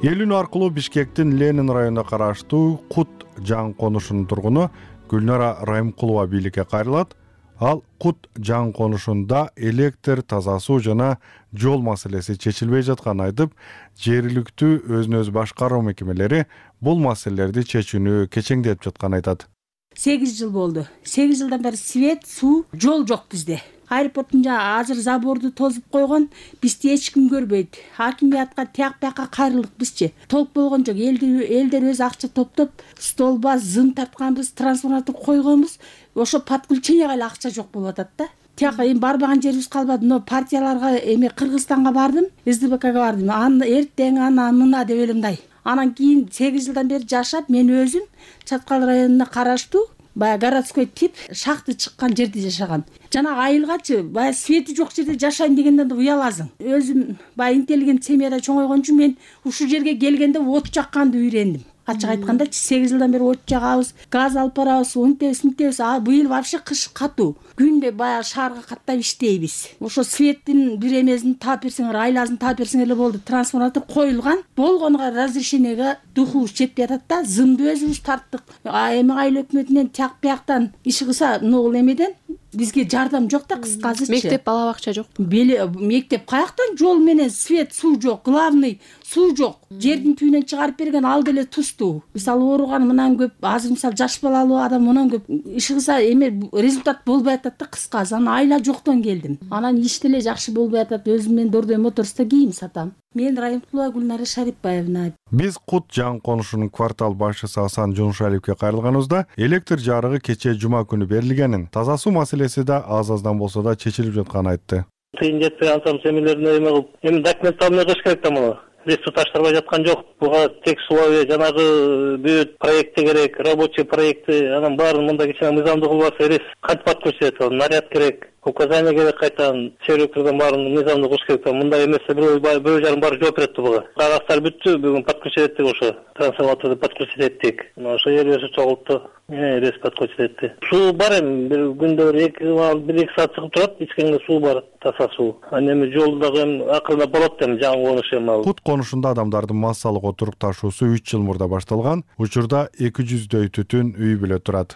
Эл үн аркылуу Бишкектин Ленин районуна караштуу Кут жаң конушунун тургуну Гүлнара Райымкулова бийликке кайрылат. Ал Кут жаң конушунда электр, таза суу жана жол маселеси чечилбей жатканын айтып, жергиликтүү өзүн өзү башкаруу мекемелери бул маселелерди чечүүнү кечеңдетип жатканын айтат. сегиз жыл болду. сегиз жылдан бери свет, суу, жол жок бизде. Аэропорттун жа азыр заборду тозуп койгон, бизди эч ким көрбөйт. Хакимиятка тияк бияка кайрылдык бизчи. Толук болгон жок. Элдер өз акча топтоп, столба зым тартканбыз, трансформатор койгонбуз. Ошо подключенияга эле акча жок болуп атат да. Тияка эми барбаган жерибиз калбады. Но партияларга эми Кыргызстанга бардым, эс дэ бэ кага бардым. Аны эртең ана мына деп эле мындай. Анан кийин сегиз жылдан бери жашап, мен өзүм Чаткал районуна караштуу баягы городской тип шахты чыккан жерде жашаган. Жана айылгачы баягы свети жок жерде жашайын дегенден да уяласың. Өзүм баягы интеллигент семьяда чоңойгон үчүн мен ушул жерге келгенде от жакканды үйрендим. Ачык айтканда сегиз жылдан бери от жагабыз, газ алып барабыз, унтебиз, мынтебиз. А быйыл вообще кыш катуу. Күндө баягы шаарга каттап иштейбиз. Ошо светтин бир эмесин таап берсеңер, айласын таап берсеңер эле болду. Трансформатор коюлган. Болгонго разрешениеге духу жетпей атат да, зымды өзүбүз тарттык. А эми айыл өкмөтүнөн тияк бияктан иш кылса, могул эмеден бизге жардам жок да, кыскасычы. Мектеп, бала бакча жок. Мектеп каяктан, жол менен свет, суу жок, главный суу жок. Жердин түбүнөн чыгарып берген ал деле тустуу. Мисалы ооруган мындан көп, азыр мисалы жаш балалуу адам мындан көп иш кылса эме результат болбой атат да, кыскасы. Анан айла жоктон келдим. Анан иш деле жакшы болбой атат. Өзүм мен Дордой моторста кийим сатам. Мен Райымкулова Гүлнара Шарипбаевна. Биз Кут жаң конушунун квартал башчысы Асан Жунушалиевге кайрылганыбызда электр жарыгы кечээ жума күнү берилгенин, таза суу маселеси да аз-аздан болсо да чечилип жатканын айтты. Тыйын жетпей алсам семилерин эме кылып, эми документ алмай кыш керек да мына. лес суу таштырбай жаткан жок. Буга тек суловые жанагы бүт проекти керек, рабочий проекти, анан баарын мындай кичине мыйзамдуу кылбаса эрес кантип ат көрсөтөт? Ал наряд керек, указание керек, кайтадан сервистерден баарын мыйзамдуу кылыш керек. Мындай эмесе бирөө бирөө жарым барып жооп берет буга. Кагаздар бүттү, бүгүн подключить эттик ошо. Трансформаторду подключить эттик. Ошо эрбеси чогултту. Эрес подключить этти. Суу бар эми, бир күндө бир эки бир эки саат чыгып турат, ичкенге суу бар, таза суу. Анан эми жол дагы эми акырында болот эми жаңы конуш эми ал. Кут конушунда адамдардын массалык отуруп ташуусу үч жыл мурда башталган. Учурда эки жүздөй түтүн үй бүлө турат.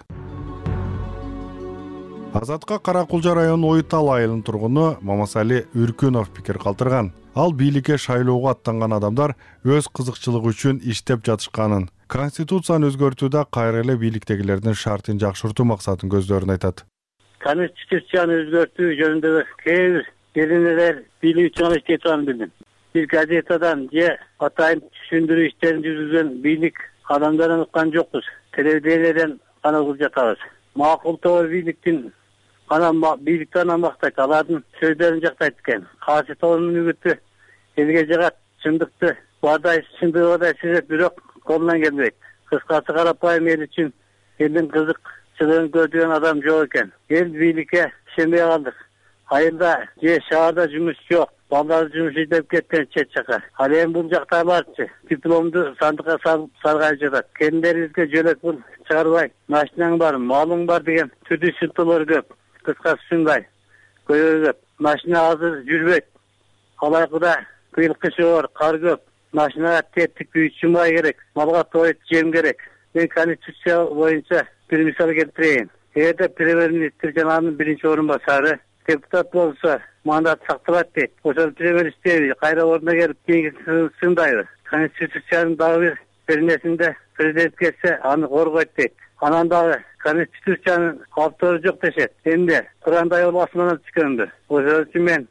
Азатка Кара Кулжа районунун Ойтал айылынын тургуну Мамасали Үркүнов пикир калтырган. Ал бийликке шайлоого аттанган адамдар өз кызыкчылыгы үчүн иштеп жатышканын, конституцияны өзгөртүүдө кайра эле бийликтегилердин шартын жакшыртуу максатын көздөрүн айтат. Конституцияны өзгөртүү жөнүндө кээ бир келинелер бийлик үчүн иштей турганын билдим. Бир газетадан же атайын түшүндүрүү иштерин жүргүзгөн бийлик адамдардан уккан жокпуз. Телевидениеден гана угуп жатабыз. Макул тобор бийликтин анан бийликтен мактайт, алардын сөздөрүн жактайт экен. Кайсы тобордун үгүтү элге жагат, чындыкты бадай чындыгы бадай сезет, бирок колунан келбейт. Кыскасы карапайым эл үчүн элдин кызыкчылыгын көрдүгөн адам жок экен. Эл бийликке ишенбей калдык. Айылда же шаарда жумуш жок, балдар жумуш издеп кеткен чет жака. Ал эми бул жактагыларчы дипломду сандыкка салып саргайып жатат. Келиндерибизге жөлөк пул чыгарбай, машинаң бар, малың бар деген түдүү сынтылар көп. Кыскасы ушундай көйгөй көп. Машина азыр жүрбөйт. Алайкыда кыйыл кыш бар, кар көп. Машинага тептик үйчү май керек, малга тоет жем керек. Мен конституция боюнча бир мисал келтирейин. Эгерде премьер-министр жана анын биринчи орун басары депутат болсо мандат сакталат дейт. Ошол премьер иштейби, кайра ордуна келип кийинки сындайбы. Конституциянын дагы бир нерсинде президент келсе аны коргойт дейт. Анан дагы конституциянын автору жок дешет. Эмне курандай басманан түшкөндү. Ошол үчүн мен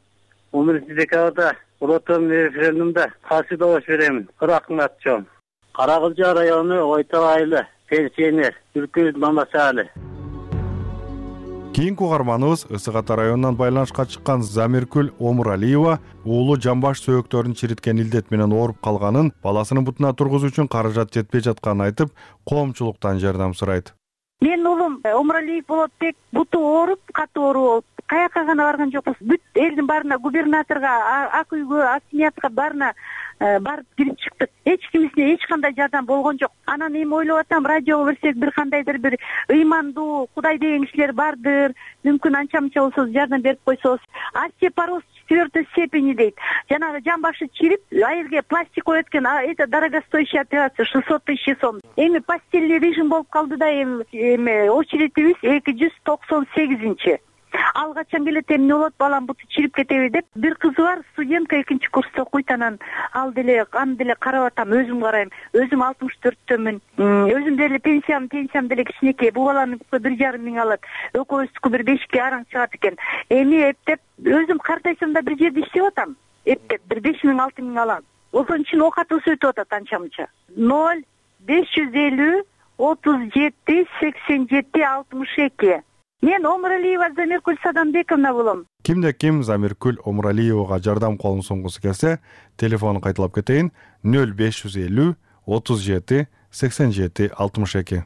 он биринчи декабрда улуттук референдумда каршы добуш беремин. Кыракын атчом. Кара Кулжа району Ойтал айылы пенсионер Үркүнов Мамасали. Кийинки угарманыбыз Ысык Ата районунан байланышка чыккан Замиркүл Омуралиева уулу жамбаш сөөктөрүн чириткен илдет менен ооруп калганын, баласынын бутуна тургузуу үчүн каражат жетпей жатканын айтып, коомчулуктан жардам сурайт. Мен уулум Омуралиев Болотбек буту ооруп, катуу оору болуп, каяка гана барган жокпуз. Бүт элдин баарына, губернаторго, ак үйгө, акимиятка баарына барып кирип чыктык. Эч кимисине эч кандай жардам болгон жок. Анан эми ойлоп атам, радиого берсек бир кандайдыр бир ыймандуу Кудай деген кишилер бардыр. Мүмкүн анча мынча болсо жардам берип койсоз. Остеопороз четвертой степени дейт. Жанагы жамбашы чирип, айылга пластик коет экен. Это дорогостоящая операция, шестьсот тысяч сом. Эми постельный режим болуп калды да эми очередибиз эки жүз токсон сегизинчи. Ал качан келет, эмне болот, балам буту чирип кетеби деп. Бир кызы бар, студентка экинчи курста окуйт, анан ал деле аны деле карап атам, өзүм карайм. Өзүм алтымыш төрттөмүн. Өзүм деле пенсиям, пенсиям деле кичинекей. Бул баланы бир жарым миң алат. Экөөбүздүкү бир бешке араң чыгат экен. Эми эптеп өзүм картайсам да бир жерде иштеп атам. Эптеп бир беш миң, алты миң алам. Ошон үчүн окатыбыз өтүп атат анча мынча. ноль беш жүз элүү отуз жети сексен жети алтымыш эки. Мен Омуралиева Замиркүл Садамбековна болом. Кимде ким Замиркүл Омуралиевага жардам колун сунгусу келсе, телефонун кайталап кетейин: ноль беш жүз элүү отуз жети сексен жети алтымыш эки.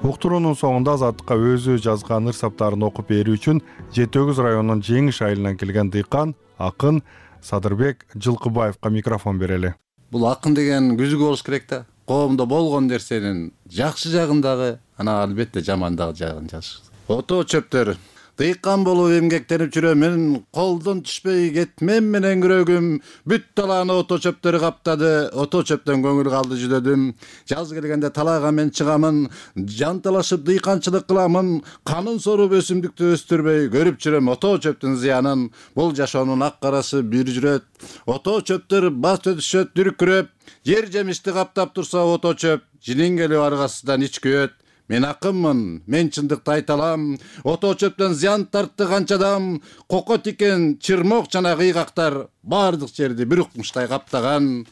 Уктуруунун соңунда Азаттыкка өзү жазган ыр-саптарын окуп берүү үчүн жети өгүз районунун Жеңиш айылынан келген дыйкан акын Садырбек Жылкыбаевга микрофон берели. Бул акын деген күзүгү болуш керек да. Коомдо болгон нерсенин жакшы жагын дагы, анан албетте жамандагы жагын жазыш. Ото чөптөр. Дыйкан болуп эмгектенип жүрөмүн, колдон түшпөй кетмем менен күрөгүм, бүт талааны ото чөптөрү каптады, ото чөптөн көңүл калды жүдөдүм. Жаз келгенде талаага мен чыгамын, жанталашып дыйканчылык кыламын, канын соруп өсүмдүктү өстүрбөй көрүп жүрөм ото чөптүн зыянын. Бул жашоонун ак карасы бир жүрөт. Ото чөптөр бас өтүшөт дүркүрөп, жер жемишти каптап турса ото чөп, жинин келип аргасынан ич күйөт. Мен акынмын, мен чындыкты айта алам. Ото чөптөн зыян тартты канча адам, коко тикен, чырмок жана кыйгактар бардык жерди бир укмуштай каптаган.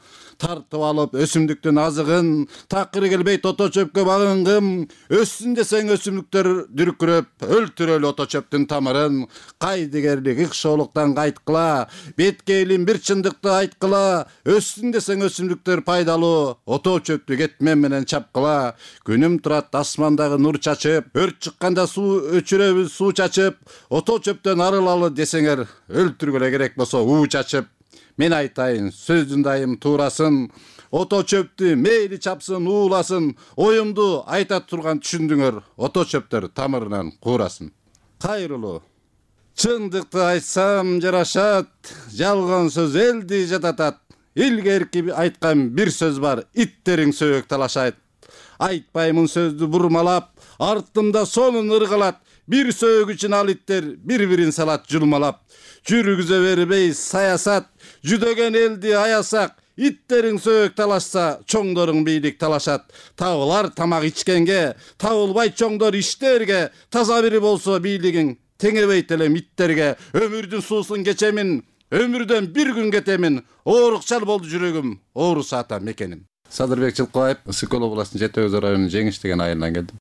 тартып алып өсүмдүктүн азыгын, такыры келбей ото чөпкө багынгым, өссүн десең өсүмдүктөр дүркүрөп өлтүрөлү ото чөптүн тамырын, кайдыгерлик ыкшоолуктан кайткыла, бетке элим бир чындыкты айткыла, өссүн десең өсүмдүктөр пайдалуу, ото чөптү кетмен менен чапкыла, күнүм турат асмандагы нур чачып, өрт чыкканда суу өчүрөбүз суу чачып, ото чөптөн арылалы десеңер, өлтүргүлө керек болсо уу чачып. Мен айтайын, сөздүн дайым туурасын, ото чөптү мейли чапсын, ууласын, оюмду айта турган түшүндүңөр, ото чөптөр тамырынан куурасын. Кайрылуу. Чындыкты айтсам жарашат, жалган сөз элди жататат. Илгерки айткан бир сөз бар, иттериң сөйөк талашат. Айтпаймын сөздү бурмалап, артымда сонун ыргалат. Бир сөйөк үчүн ал иттер бири-бирин салат жулмалап. Жүргүзө бербей саясат, жүдөген элди аясак. Иттериң сөйөк талашса, чоңдоруң бийлик талашат. Табылар тамак ичкенге, табылбай чоңдор иштерге. Таза бири болсо бийлигиң, теңебейт элем иттерге. Өмүрдүн суусун кечемин, өмүрдөн бир күн кетемин. Оорукчал болду жүрөгүм, оорусу ата мекеним. Садырбек Жылкыбаев, Ысык Көл областынын Жети Өзү районунун Жеңиш деген айылынан келдим.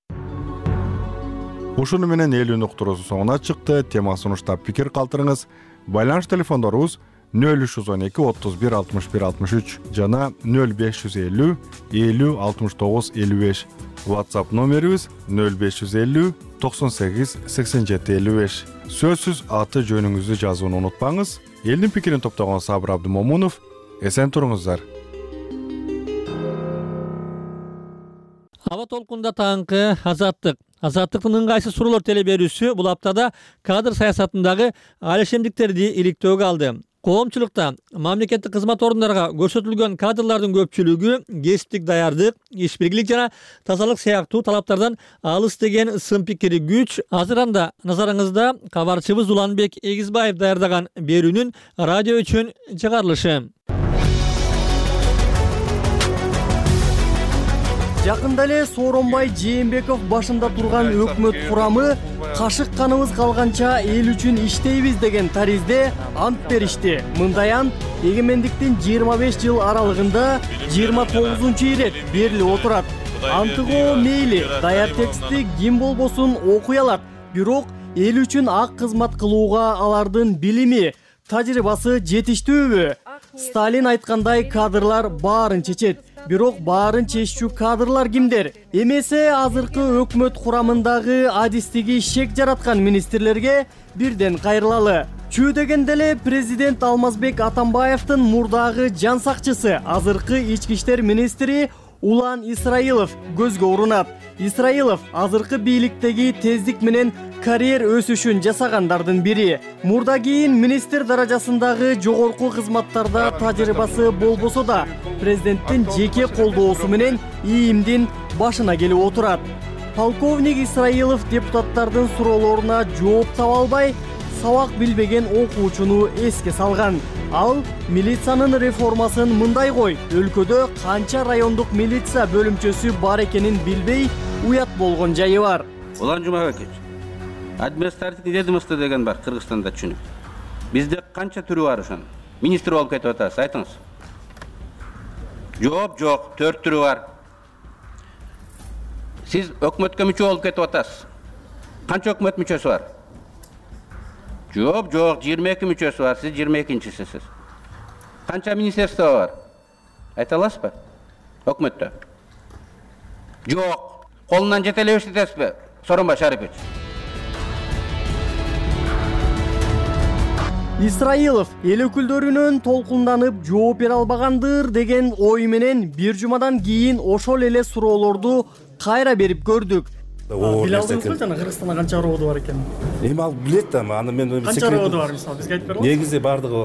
Ушуну менен элүү уктуруусу соңуна чыкты. Тема сунуштап пикир калтырыңыз. Байланыш телефондорубуз нөл үч жүз он эки отуз бир алтымыш бир алтымыш үч жана нөл беш жүз элүү элүү алтымыш тогуз элүү беш. WhatsApp номерибиз нөл беш жүз элүү токсон сегиз сексен жети элүү беш. Сөзсүз аты жөнүңүздү жазууну унутпаңыз. Элдин пикирин топтогон Сабыр Абдымомунов. Эсен туруңуздар. Аба толкунда таңкы азаттык. Азаттыктын ыңгайсыз суроолор теле берүүсү бул аптада кадр саясатындагы алишемдиктерди иликтөөгө алды. Коомчулукта мамлекеттик кызмат орундарга көрсөтүлгөн кадрлардын көпчүлүгү кесиптик даярдык, иш биргилик жана тазалык сыяктуу талаптардан алыс деген сын пикири күч. Азыр анда назарыңызда кабарчыбыз Уланбек Эгизбаев даярдаган берүүнүн радио үчүн чыгарылышы. Жакында эле Сооронбай Жээнбеков башында турган өкмөт курамы кашык каныбыз калганча эл үчүн иштейбиз деген таризде ант беришти. Мындай ант эгемендиктин жыйырма беш жыл аралыгында жыйырма тогузунчу ирет берилип отурат. Антыгоо мейли даяр текстти ким болбосун окуй алат, бирок эл үчүн ак кызмат кылууга алардын билими, тажрыйбасы жетиштүүбү? Сталин айткандай кадрлар баарын чечет. Бирок баарын чечүүчү кадрлар кимдер? Эмесе азыркы өкмөт курамындагы адистиги шек жараткан министрлерге бирден кайрылалы. Чүү дегенде эле президент Алмазбек Атамбаевдин мурдагы жан сакчысы, азыркы ички иштер министри Улан Исраилов көзгө урунат. Исраилов азыркы бийликтеги тездик менен карьер өсүшүн жасагандардын бири. Мурда кийин министр даражасындагы жогорку кызматтарда тажрыйбасы болбосо да, президенттин жеке колдоосу менен ийимдин башына келип отурат. Полковник Исраилов депутаттардын суроолоруна жооп таба албай, сабак билбеген окуучуну эске салган. Ал милициянын реформасын мындай кой, өлкөдө канча райондук милиция бөлүмчөсү бар экенин билбей уят болгон жайы бар. Улан Жумабекович, административный ведомство деген бар Кыргызстанда, түшүнүп. Бизде канча түрү бар ошонун? Министр болуп кетип атасыз, айтыңыз. Жооп, жок, төрт түрү бар. Сиз өкмөткө мүчө болуп кетип атасыз. Канча өкмөт мүчөсү бар? Жок, жок, жыйырма эки мүчөсү бар, сиз жыйырма экинчисисиз. Канча министерство бар? Айта аласызбы? Өкмөттө. Жок. Колунан жете эле эстетесизби, Сооронбай Шарипович? Исраилов эл өкүлдөрүнөн толкунданып жооп бере албагандыр деген ой менен бир жумадан кийин ошол эле суроолорду кайра берип көрдүк. Биле алдыңызбы жана Кыргызстанда канча роодо бар экенин? Эми ал билет да, аны мен канча роодо бар мисалы бизге айтып бериңиз. Негизи бардыгы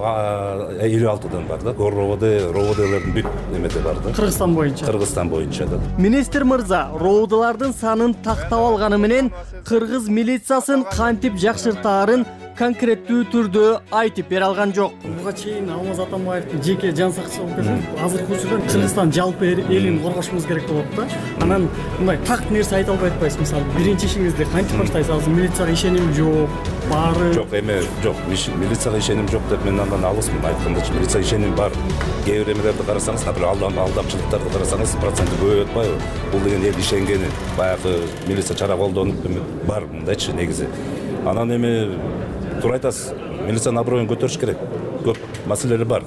элүү алтыдан бар да, гор роодо, роодолордун бүт немеде бар да. Кыргызстан боюнча. Кыргызстан боюнча да. Министр мырза роодолордун санын тактап алганы менен кыргыз милициясын кантип жакшыртаарын конкреттүү түрдө айтып бере алган жок. Буга чейин Алмаз Атамбаевдин жеке жан сакчысы болуп келсе, азыркы учурда Кыргызстан жалпы элин коргошубуз керек болот да. Анан мындай так нерсе айта албай атпайсыз. Мисалы, биринчи ишиңизди кантип баштайсыз? Азыр милицияга ишеним жок, баары жок. Эме жок, милицияга ишеним жок деп мен андан алысмын. Айткандачы милицияга ишеним бар. Кээ бир эмелерди карасаңыз, например, алдамчылыктарды карасаңыз, проценти көбөйүп атпайбы? Бул деген эл ишенгени, баягы милиция чара колдонуп бар мындайчы негизи. Анан эми туура айтасыз, милициянын аброюн көтөрүш керек. Көп маселелер бар.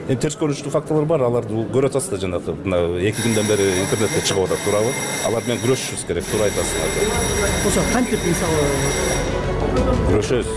Эми терс көрүнүштүү фактылар бар, аларды көрүп атасыз да, жанагы мына эки күндөн бери интернетте чыгып атат, туурабы? Алар менен күрөшүшүбүз керек, туура айтасыз. Ошо кантип мисалы күрөшөбүз?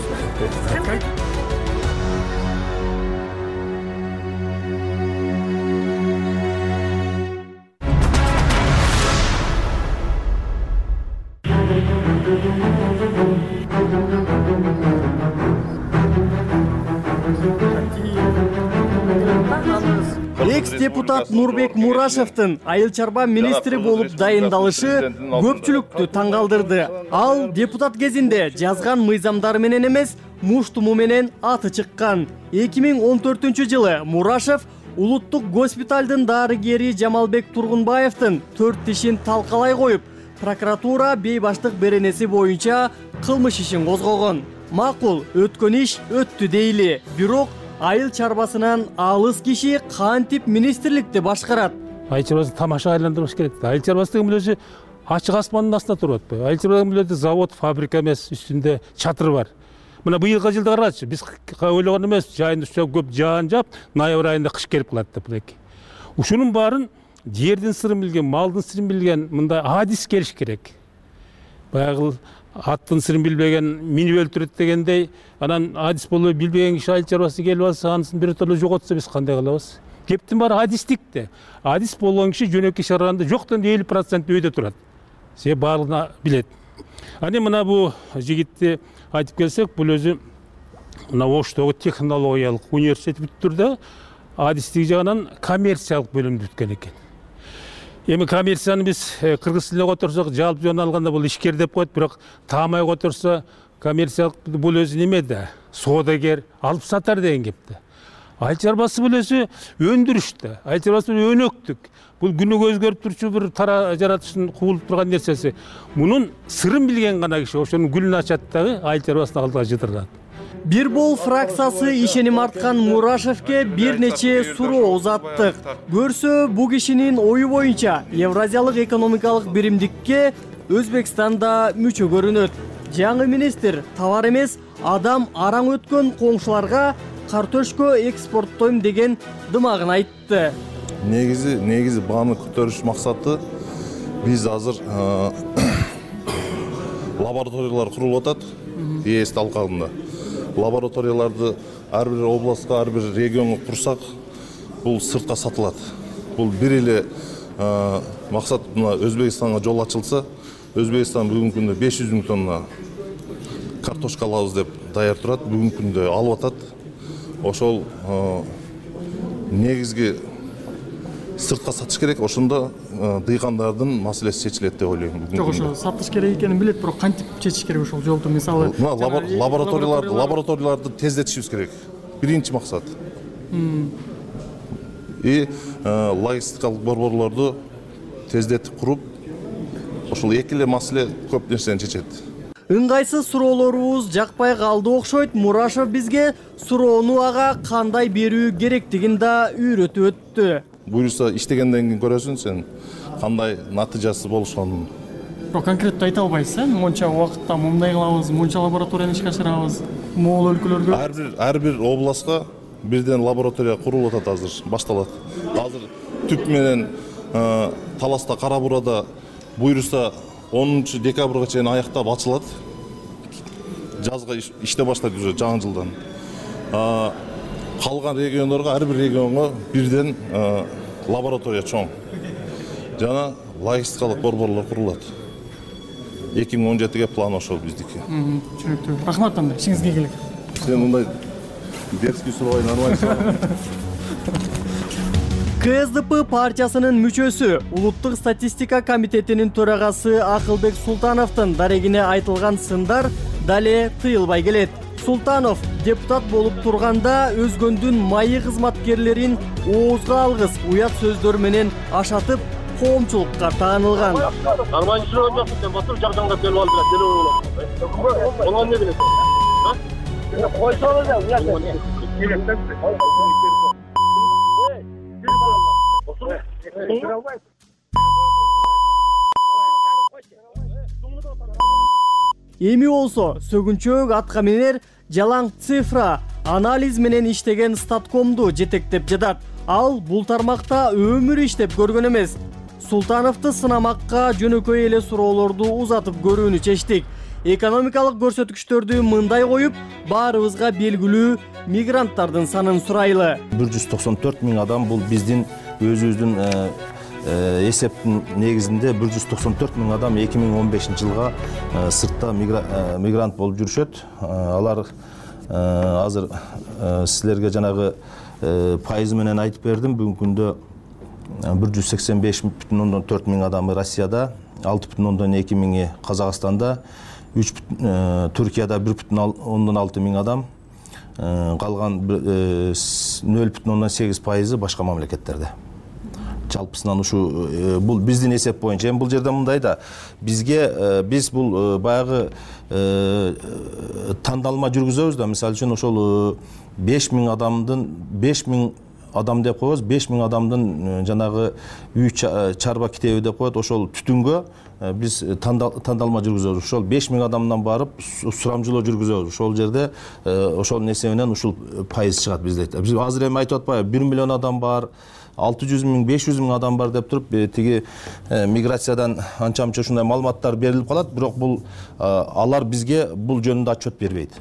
Экс-депутат Нурбек Мурашевдин айыл чарба министри болуп дайындалышы көпчүлүктү таң калтырды. Ал депутат кезинде жазган мыйзамдары менен эмес, муштуму менен аты чыккан. эки миң он төртүнчү жылы Мурашев улуттук госпиталдын дарыгери Жамалбек Тургунбаевдин төрт тишин талкалай коюп, прокуратура бейбаштык беренеси боюнча кылмыш ишин козгогон. Макул, өткөн иш өттү дейли. Бирок айыл чарбасынан алыс киши кантип министрликти башкарат? Айыл чарбасын тамаша айландырыш керек. Айыл чарбасы деген эле ачык аспандын астында туруп атпайбы? Айыл чарба деген эле завод, фабрика эмес, үстүндө чатыр бар. Мына быйылкы жылда карачы, биз ойлогон эмес, жайында көп жаан жап, ноябрь айында кыш келип калат деп эки. Ушунун баарын жердин сырын билген, малдын сырын билген мындай адис келиш керек. Баягы аттын сырын билбеген минип өлтүрөт дегендей, анан адис болбой билбеген киши айыл чарбасына келип алса, анысын биротоло жоготса биз кандай кылабыз? Кептин баары адистикте. Адис болгон киши жөнөкөй шарганда жоктон элүү процент өйдө турат. Се баардыгына билет. Аны мына бу жигитти айтып келсек, бул өзү мына Оштогу технологиялык университет бүттүрдө адистик жагынан коммерциялык бөлүмдү бүткөн экен. Эми коммерцияны биз кыргыз тилине которсок, жалпы жөн алганда бул ишкер деп коет, бирок таамай которсо коммерциялык бул өзү неме да, соодагер, алып сатар деген кепти. Айыл чарбасы бул өзү өндүрүштө, айыл чарбасы бул өнөктүк. Бул күнүгө өзгөрүп турчу бир тара жаратыштын кубулуп турган нерсеси. Мунун сырын билген гана киши ошонун гүлүн ачат дагы айыл чарбасына алдыга жытырат. Бир бол фракциясы ишеним арткан Мурашевке бир нече суроо узаттык. Көрсө, бу кишинин ою боюнча Евразиялык экономикалык биримдикке Өзбекстан да мүчө көрүнөт. Жаңы министр товар эмес, адам араң өткөн коңшуларга картошка экспорттойм деген дымагын айтты. Негизи, негизи бааны көтөрүш максаты биз азыр лабораториялар курулуп атат ЕС алкагында. Лабораторияларды ар бир областка, ар бир регионго курсак, бул сыртка сатылат. Бул бир эле максат мына Өзбекстанга жол ачылса, Өзбекстан бүгүнкү күндө беш жүз миң тонна картошка алабыз деп даяр турат, бүгүнкү күндө алып атат. Ошол негизги сыртка сатыш керек, ошондо дыйкандардын маселеси чечилет деп ойлойм. Жок, ошо сатыш керек экенин билет, бирок кантип чечиш керек ошол жолду? Мисалы, лабораторияларды лабораторияларды тездетишибиз керек. Биринчи максат. И логистикалык борборлорду тездетип куруп, ошол эки эле маселе көп нерсени чечет. Ыңгайсыз суроолорубуз жакпай калды окшойт. Мурашев бизге суроону ага кандай берүү керектигин да үйрөтүп өттү. Буюрса иштегенден кийин көрөсүң сен кандай натыйжасы болушун. Бирок конкреттүү айта албайсыз, э? Монча убакытта мындай кылабыз, монча лабораторияны ишке ашырабыз. Могул өлкөлөрдө ар бир ар бир областка бирден лаборатория курулуп атат азыр, башталат. Азыр түп менен Таласта, Кара Бурада буюрса онунчу декабрга чейин аяктап ачылат. Жазга иште баштайт уже жаңы жылдан. Калган региондорго, ар бир регионго бирден лаборатория чоң. Жана логистикалык борборлор курулат. эки миң он жетиге план ошол биздики. Түшүнүктүү. Рахмат анда, ишиңизге ийгилик. Сен мындай дерзкий суроо нормально. КСДП партиясынын мүчөсү, Улуттук статистика комитетинин төрагасы Акылбек Султановдун дарегине айтылган сындар дале тыйылбай келет. Султанов депутат болуп турганда өзгөндүн майы кызматкерлерин оозго алгыс, уят сөздөр менен ашатып, коомчулукка таанылган. Нормально жүргөн жоксуң, сен батыр жакжаңдап келип алып деле болот. Болгон эмне билесиң? А? Койсоңуз да, уят. Эми болсо сөгүнчөөк атка минер жалаң цифра анализ менен иштеген статкомду жетектеп жатат. Ал бул тармакта өмүр иштеп көргөн эмес. Султановду сынамакка жөнөкөй эле суроолорду узатып көрүүнү чечтик. Экономикалык көрсөткүчтөрдү мындай коюп, баарыбызга белгилүү мигранттардын санын сурайлы. бир жүз токсон төрт миң адам бул биздин өзүбүздүн эсептин негизинде бир жүз токсон төрт миң адам эки миң он бешинчи жылга сыртта мигрант болуп жүрүшөт. Алар азыр силерге жанагы пайызы менен айтып бердим. Бүгүнкү күндө бир жүз сексен беш бүтүн ондон төрт миң адамы Россияда, алты бүтүн ондон эки миңи Казакстанда, үч Түркияда бир бүтүн ондон алты миң адам, калган нөл бүтүн ондон сегиз пайызы башка мамлекеттерде. Жалпысынан ушу бул биздин эсеп боюнча. Эми бул жерде мындай да, бизге биз бул баягы тандалма жүргүзөбүз да. Мисалы үчүн ошол беш миң адамдын беш миң адам деп коебуз, беш миң адамдын жанагы үй чарба китеби деп коет. Ошол түтүнгө биз тандалма жүргүзөбүз. Ошол беш миң адамдан барып сурамжылоо жүргүзөбүз. Ошол жерде ошонун эсебинен ушул пайыз чыгат бизде. Биз азыр эми айтып атпайбы, бир миллион адам бар, алты жүз миң, беш жүз миң адам бар деп туруп, тиги миграциядан анча-мынча ушундай маалыматтар берилип калат, бирок бул алар бизге бул жөнүндө отчет бербейт.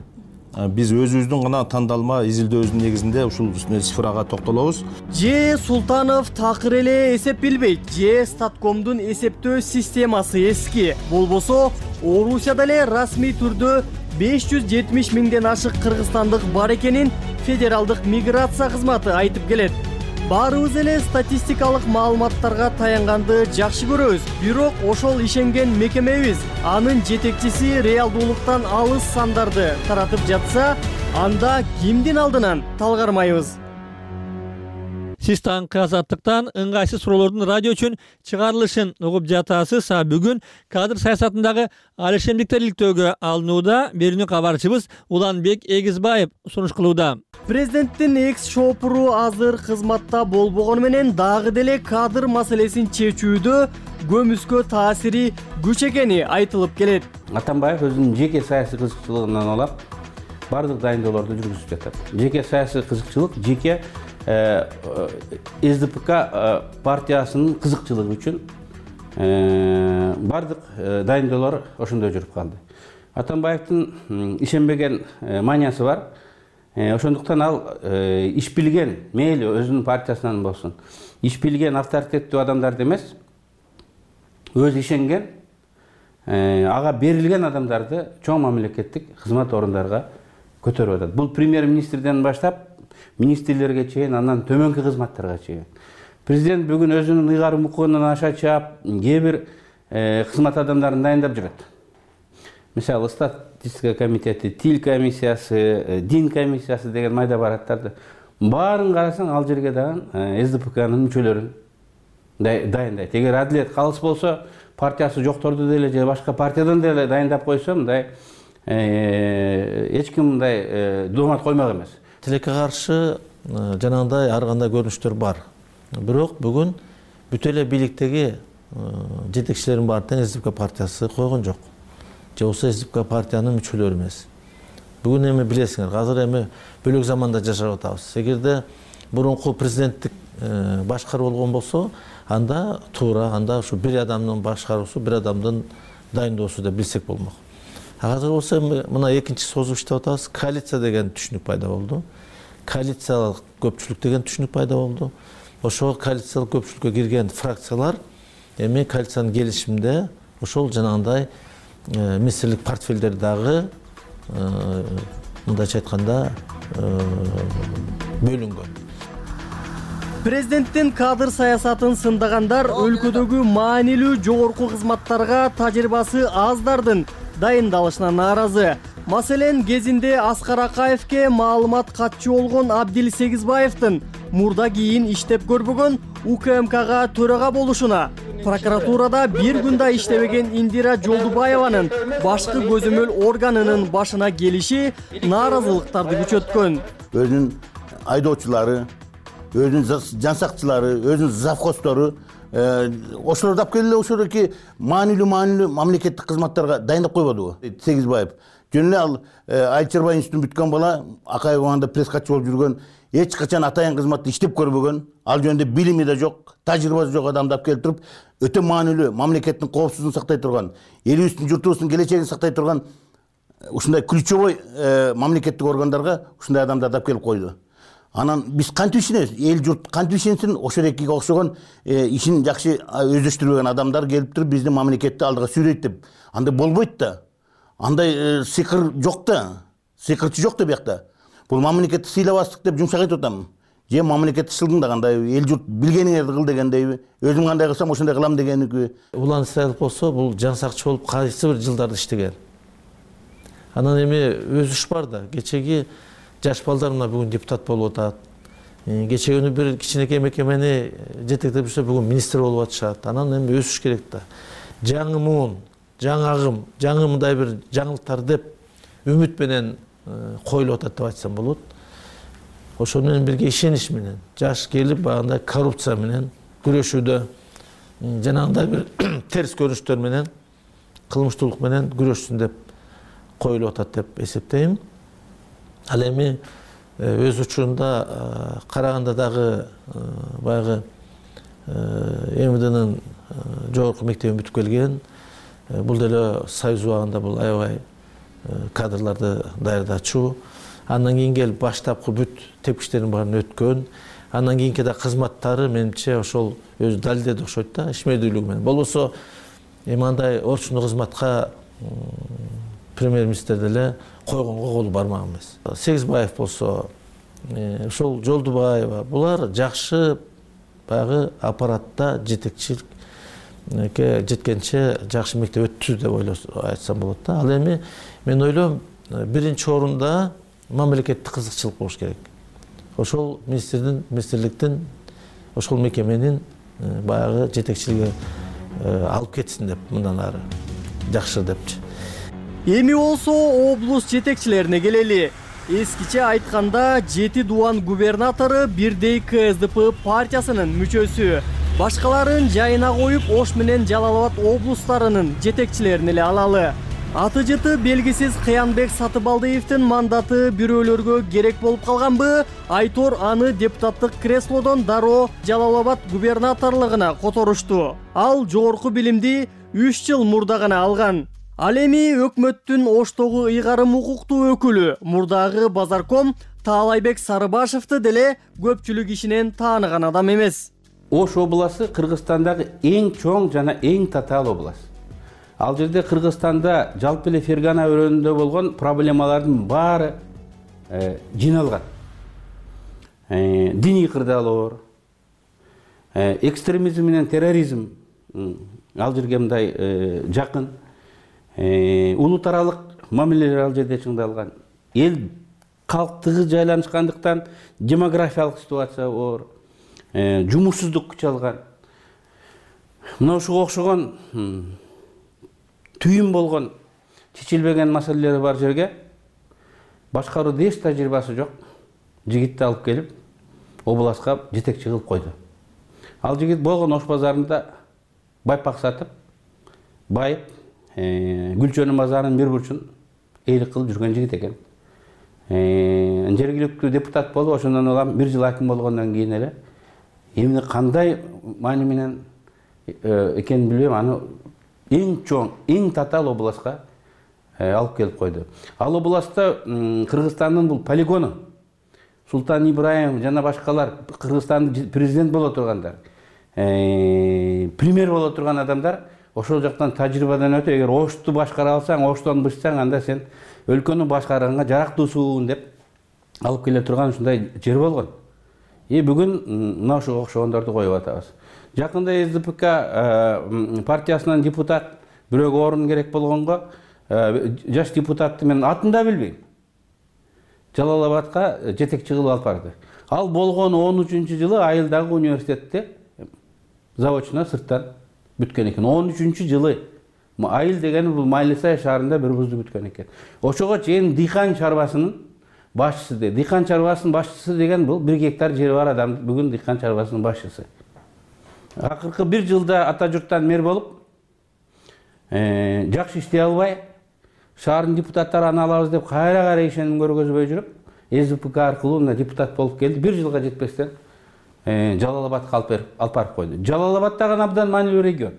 Биз өзүбүздүн гана тандалма изилдөөбүздүн негизинде ушул цифрага токтолобуз. Же Султанов такыр эле эсеп билбейт, же статкомдун эсептөө системасы эски. Болбосо, Орусияда эле расмий түрдө беш жүз жетимиш миңден ашык кыргызстандык бар экенин федералдык миграция кызматы айтып келет. Баарыбыз эле статистикалык маалыматтарга таянганды жакшы көрөбүз, бирок ошол ишенген мекемебиз анын жетекчиси реалдуулуктан алыс сандарды таратып жатса, анда кимдин алдынан талгармайбыз. Сиз таңкы азаттыктан ыңгайсыз суроолордун радио үчүн чыгарылышын угуп жатасыз. А бүгүн кадр саясатындагы алишемдиктер иликтөөгө алынууда. Берүүнү кабарчыбыз Уланбек Эгизбаев сунуш кылууда. Президенттин экс шопуру азыр кызматта болбогону менен дагы деле кадр маселесин чечүүдө көмүскө таасири күч экени айтылып келет. Атамбаев өзүнүн жеке саясий кызыкчылыгынан улап бардык дайындоолорду жүргүзүп жатат. Жеке саясий кызыкчылык, жеке эс дэ пэ ка партиясынын кызыкчылыгы үчүн бардык дайындоолор ошондой жүрүп калды. Атамбаевдин ишенбеген маниясы бар. Ошондуктан ал иш билген, мейли өзүнүн партиясынан болсун, иш билген авторитеттүү адамдарды эмес, өзү ишенген, ага берилген адамдарды чоң мамлекеттик кызмат орундарга көтөрүп атат. Бул премьер-министрден баштап министрлерге чейин, андан төмөнкү кызматтарга чейин. Президент бүгүн өзүнүн ыйгарым укугунан аша чаап, кээ бир кызмат адамдарын дайындап жүрөт. Мисалы, статистика комитети, тил комиссиясы, дин комиссиясы деген майда бараттарды баарын карасаң, ал жерге дагы эс дэ пэ канын мүчөлөрүн дайындайт. Эгер адилет калыс болсо, партиясы жокторду деле же башка партиядан деле дайындап койсо, мындай эч ким мындай доомат коймок эмес. Тилекке каршы жанагындай ар кандай көрүнүштөр бар. Бирок бүгүн бүт эле бийликтеги жетекчилердин баары тең эс дэ пэ ка партиясы койгон жок. Же болсо эс дэ пэ ка партиянын мүчөлөрү эмес. Бүгүн эми билесиңер, азыр эми бөлөк заманда жашап атабыз. Эгерде мурунку президенттик башкаруу болгон болсо, анда туура, анда ушу бир адамдын башкаруусу, бир адамдын дайындоосу деп билсек болмок. Азыр болсо мына экинчи созуп иштеп атабыз. Коалиция деген түшүнүк пайда болду. Коалициялык көпчүлүк деген түшүнүк пайда болду. Ошол коалициялык көпчүлүккө кирген фракциялар эми коалициянын келишиминде ошол жанагындай министрлик портфелдери дагы мындайча айтканда бөлүнгөн. Президенттин кадр саясатын сындагандар өлкөдөгү маанилүү жогорку кызматтарга тажрыйбасы аздардын дайындалышына нааразы. Маселен, кезинде Аскар Акаевке маалымат катчу болгон Абдил Сегизбаевдин мурда кийин иштеп көрбөгөн УКМКга төрага болушуна, прокуратурада бир күн да иштебеген Индира Жолдубаеванын башкы көзөмөл органынын башына келиши нааразылыктарды күчөткөн. Өзүнүн айдоочулары, өзүнүн жансакчылары, өзүнүн завхозтору ошолорду алып келип эле ошодоки маанилүү маанилүү мамлекеттик кызматтарга дайындап койбодубу? Сегизбаев жөн эле ал Айчырбай институтун бүткөн бала, Акаев убагында пресс катчы болуп жүргөн, эч качан атайын кызматта иштеп көрбөгөн, ал жөнүндө билими да жок, тажрыйбасы жок адамды алып келип туруп, өтө маанилүү мамлекеттин коопсуздугун сактай турган, элибиздин журтубуздун келечегин сактай турган ушундай ключевой мамлекеттик органдарга ушундай адамдарды алып келип койду. Анан биз кантип ишенебиз? Эл журт кантип ишенсин? Ошодокиге окшогон ишин жакшы өздөштүрбөгөн адамдар келип туруп биздин мамлекетти алдыга сүйрөйт деп. Андай болбойт да. Андай сыйкыр жок да. Сыйкырчы жок да биякта. Бул мамлекетти сыйлабастык деп жумшак айтып атам. Же мамлекетти шылдыңда кандай эл журт билгениңерди кыл дегендейби? Өзүм кандай кылсам ошондой кылам дегеники. Улан Исраилов болсо, бул жансакчы болуп кайсы бир жылдарды иштеген. Анан эми өз иш бар да. Кечеги жаш балдар мына бүгүн депутат болуп атат. Кечеги бир кичинекей мекемени жетектеп жүрсө бүгүн министр болуп атышат. Анан эми өсүш керек да. Жаңы муун, жаңы агым, жаңы мындай бир жаңылыктар деп үмүт менен коюлуп атат деп айтсам болот. Ошол менен бирге ишенич менен жаш келип багындай коррупция менен күрөшүүдө, жанагындай бир терс көрүнүштөр менен, кылмыштуулук менен күрөшсүн деп коюлуп атат деп эсептейм. Ал эми өз учурунда караганда дагы баягы МВДнын жогорку мектебин бүтүп келген, бул деле Союз убагында бул аябай кадрларды даярдачу. Андан кийин келип баштапкы бүт тепкичтердин баарын өткөн. Андан кийинки да кызматтары менимче ошол өзү далилдеди окшойт да, ишмердүүлүгү менен. Болбосо эми андай орчундуу кызматка премьер-министр деле койгонго колу бармак эмес. Сегизбаев болсо, ошол Жолдубаева, булар жакшы баягы аппаратта жетекчиликке жеткенче жакшы мектеп өттү деп ойлоп айтсам болот да. Ал эми мен ойлойм, биринчи орунда мамлекеттик кызыкчылык болуш керек. Ошол министрдин, министрликтин, ошол мекеменин баягы жетекчилиги алып кетсин деп, мындан ары жакшы депчи. Эми болсо облус жетекчилерине келели. Эскиче айтканда жети дубан губернатору бирдей КСДП партиясынын мүчөсү. Башкаларын жайына коюп, Ош менен Жалал Абад облустарынын жетекчилерин эле алалы. Аты жыты белгисиз Кыянбек Сатыбалдиевдин мандаты бирөөлөргө керек болуп калганбы? Айтор аны депутаттык креслодон дароо Жалал Абад губернаторлугуна которушту. Ал жогорку билимди үч жыл мурда гана алган. Ал эми өкмөттүн Оштогу ыйгарым укуктуу өкүлү мурдагы Базарком Таалайбек Сарыбашевди деле көпчүлүк ишинен тааныган адам эмес. Ош областы Кыргызстандагы эң чоң жана эң татаал область. Ал жерде Кыргызстанда жалпы эле Фергана өрөөнүндө болгон проблемалардын баары жиналган. Диний кырдаалоор, экстремизм менен терроризм ал жерге мындай жакын. Улут аралык мамилелер ал жерде чыңдалган. Эл калктыгы жайланышкандыктан демографиялык ситуация оор, жумушсуздук күчалган. Мына ушуга окшогон түйүн болгон чечилбеген маселелери бар жерге башкаруу эч тажрыйбасы жок жигитти алып келип областка жетекчи кылып койду. Ал жигит болгон Ош базарында байпак сатып, байып, Гүлчөнүн базарынын бир бурчун эйлик кылып жүргөн жигит экен. Жергиликтүү депутат болуп, ошондон улам бир жыл аким болгондон кийин эле эмне кандай маани менен экенин билбейм, аны эң чоң, эң татаал областка алып келип койду. Ал областта Кыргызстандын бул полигону, Султан Ибраимов жана башкалар, Кыргызстандын президент боло тургандар, премьер боло турган адамдар ошол жактан тажрыйбадан өтүп, эгер Ошту башкара алсаң, Оштон бышсаң, анда сен өлкөнү башкарганга жарактуусуң деп алып келе турган ушундай жер болгон. И бүгүн мына ошого окшогондорду коюп атабыз. Жакында СДПК партиясынан депутат бирөөгө орун керек болгонго жаш депутатты мен атын да билбейм, Жалал Абадка жетекчи кылып алып барды. Ал болгон он үчүнчү жылы Айылдагы университетте заочно сырттан бүткөн экен. он үчүнчү жылы Айыл деген бул Майлысай шаарында бир вузду бүткөн экен. Ошого чейин дыйкан чарбасынын башчысы де. Дыйкан чарбасынын башчысы деген бул бир гектар жери бар адам, бүгүн дыйкан чарбасынын башчысы. Акыркы бир жылда ата журттан мэр болуп, жакшы иштей албай, шаардын депутаттары аны алабыз деп кайра-кайра ишеним көргөзбөй жүрүп, СДПК аркылуу мына депутат болуп келди. Бир жылга жетпестен Жалал Абадка алып барып койду. Жалал Абад дагы абдан маанилүү регион.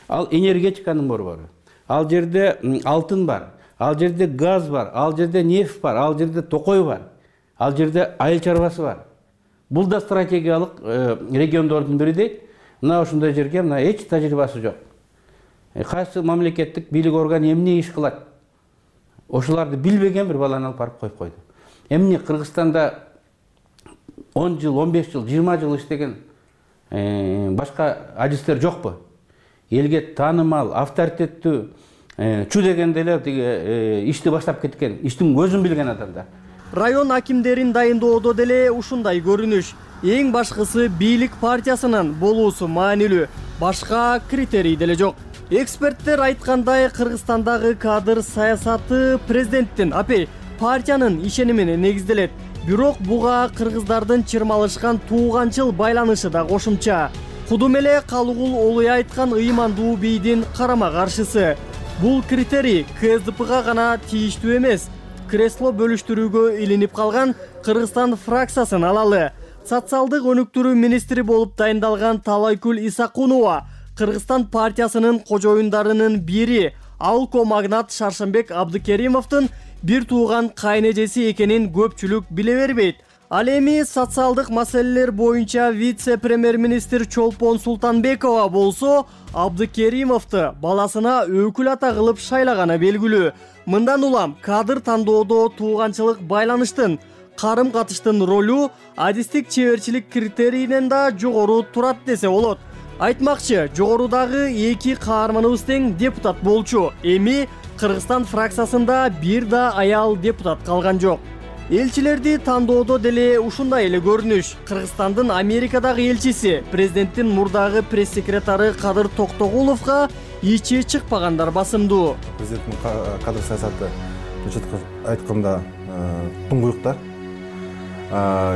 Ал энергетиканын борбору. Ал жерде алтын бар, ал жерде газ бар, ал жерде нефть бар, ал жерде токой бар, ал жерде айыл чарбасы бар. Бул да стратегиялык региондордун бири дейт. Мына ошондой жерге мына эч тажрыйбасы жок. Кайсы мамлекеттик бийлик органы эмне иш кылат? Ошоларды билбеген бир баланы алып барып коюп койду. Эмне Кыргызстанда он жыл, он беш жыл, жыйырма жыл иштеген башка адистер жокпу? Элге таанымал, авторитеттүү, чу дегенде эле тиги ишти баштап кеткен, иштин көзүн билген адамдар. Район акимдерин дайындоодо деле ушундай көрүнүш. Эң башкысы бийлик партиясынын болуусу маанилүү, башка критерий деле жок. Эксперттер айткандай, Кыргызстандагы кадр саясаты президенттин, апей, партиянын ишенимине негизделет. Бирок буга кыргыздардын чырмалышкан тууганчыл байланышы да кошумча. Кудум эле Калыгул Олуй айткан ыймандуу бийдин карама каршысы. Бул критерий КСДПга гана тийиштүү эмес. Кресло бөлүштүрүүгө илинип калган Кыргызстан фракциясын алалы. Социалдык өнүктүрүү министри болуп дайындалган Талайкүл Исакунова Кыргызстан партиясынын кожоюндарынын бири Алко магнат Шаршембек Абдыкеримовдун бир тууган кайнэжеси экенин көпчүлүк биле бербейт. Ал эми социалдык маселелер боюнча вице-премьер-министр Чолпон Султанбекова болсо Абдыкеримовду баласына өкүл ата кылып шайлаганы белгилүү. Мындан улам кадр тандоодо тууганчылык байланыштын, карым-катыштын ролу адистик чеберчилик критерийинен да жогору турат десе болот. Айтмакчы, жогорудагы эки каарманыбыз тең депутат болчу. Эми Кыргызстан фракциясында бир да аял депутат калган жок. Элчилерди тандоодо деле ушундай эле көрүнүш. Кыргызстандын Америкадагы элчиси, президенттин мурдагы пресс-секретары Кадыр Токтогуловго ичи чыкпагандар басымдуу. Президенттин кадр саясаты айтканда туңгуюктар.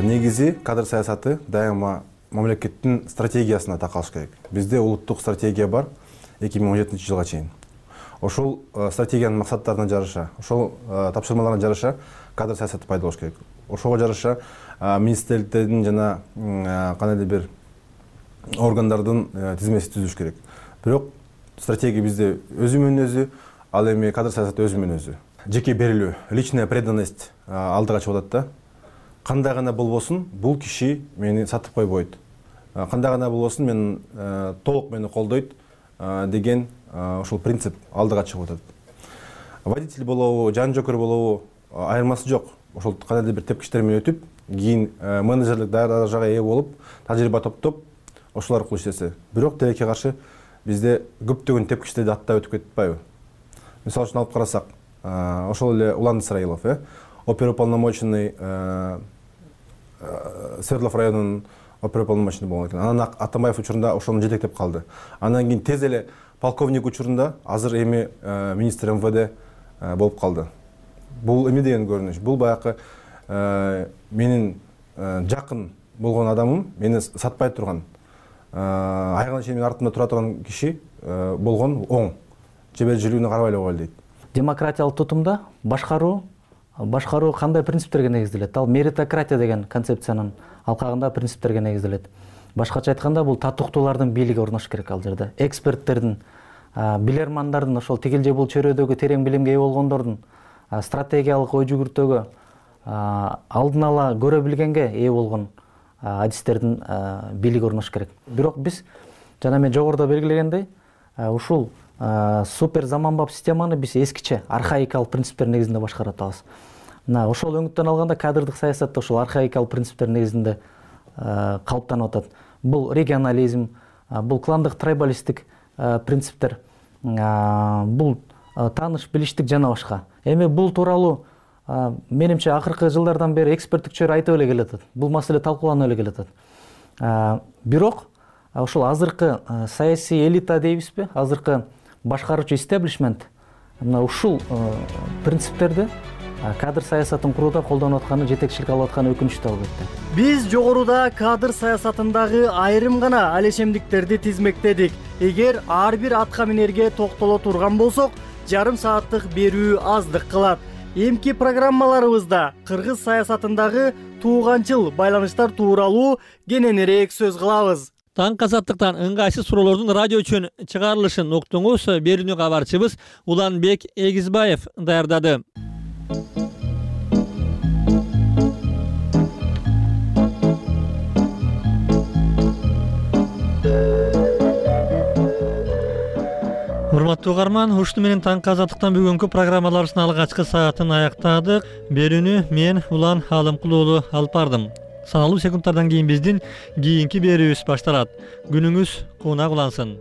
Негизи кадр саясаты дайыма мамлекеттин стратегиясына такалыш керек. Бизде улуттук стратегия бар эки миң он жетинчи жылга чейин. Ошол стратегиянын максаттарына жараша, ошол тапшырмаларына жараша кадр саясаты пайда болуш керек. Ошого жараша министрликтердин жана кандайдыр бир органдардын тизмеси түзүлүш керек. Бирок стратегия бизде өзү менен өзү, ал эми кадр саясаты өзү менен өзү. Жеке берилүү, личная преданность алдыга чыгып атат да. Кандай гана болбосун, бул киши мени сатып койбойт. Кандай гана болбосун, мен толук мени колдойт деген ошол принцип алдыга чыгып атат. Водитель болобу, жан жокер болобу айырмасы жок. Ошол кандайдыр бир тепкичтер менен өтүп, кийин менеджерлик даражага ээ болуп, тажрыйба топтоп, ошол аркылуу иштесе. Бирок тилекке каршы бизде көптөгөн тепкичтерди аттап өтүп кетип атпайбы? Мисалы үчүн алып карасак, ошол эле Улан Исраилов, э, оперуполномоченный Свердлов районунун оперуполномоченный болгон экен. Анан Атамбаев учурунда ошону жетектеп калды. Андан кийин тез эле полковник учурунда азыр эми министр эм вэ дэ болуп калды. Бул эме деген көрүнүш. Бул баягы менин жакын болгон адамым, мени сатпай турган, айгына чейин менин артымда тура турган киши болгон оң. Жебелжилүүнү карабай эле койгула дейт. Демократиялык тутумда башкаруу башкаруу кандай принциптерге негизделет? Ал меритократия деген концепциянын алкагында принциптерге негизделет. Башкача айтканда, бул татыктуулардын бийлиги орнош керек ал жерде. Эксперттердин, билермандардын, ошол тигил же бул чөйрөдөгү терең билимге ээ болгондордун, стратегиялык ой жүгүртүүгө алдын ала көрө билгенге ээ болгон адистердин бийлиги орнош керек. Бирок биз жана мен жогоруда белгилегендей, ушул супер заманбап системаны биз эскиче, архаикалык принциптер негизинде башкарып атабыз. Мына ошол өңүттөн алганда кадрдык саясатта ошол архаикалык принциптер негизинде калыптанып атат. Бул регионализм, бул кландык трайбалисттик принциптер, бул тааныш билиштик жана башка. Эми бул тууралуу менимче акыркы жылдардан бери эксперттик чөйрө айтып эле келатат. Бул маселе талкууланып эле келатат. Бирок ошол азыркы саясий элита дейбизби, азыркы башкаруучу истеблишмент мына ушул принциптерди кадр саясатын курууда колдонуп атканы, жетекчилик алып атканы өкүнүчтүү албетте. Биз жогоруда кадр саясатындагы айрым гана алешемдиктерди тизмектедик. Эгер ар бир атка минерге токтоло турган болсок, жарым сааттык берүү аздык кылат. Эмки программаларыбызда кыргыз саясатындагы тууганчыл байланыштар тууралуу кененирээк сөз кылабыз. Таң азаттыктан ыңгайсыз суроолордун радио үчүн чыгарылышын уктуңуз. Берүүнү кабарчыбыз Уланбек Эгизбаев даярдады. Урматтуу угарман, ушуну менен таң азаттыктан бүгүнкү программаларыбыздын алгачкы саатын аяктадык. Берүүнү мен Улан Алымкул уулу алып бардым. Саналуу секундтардан кийин биздин кийинки берүүбүз башталат. Күнүңүз куунак улансын.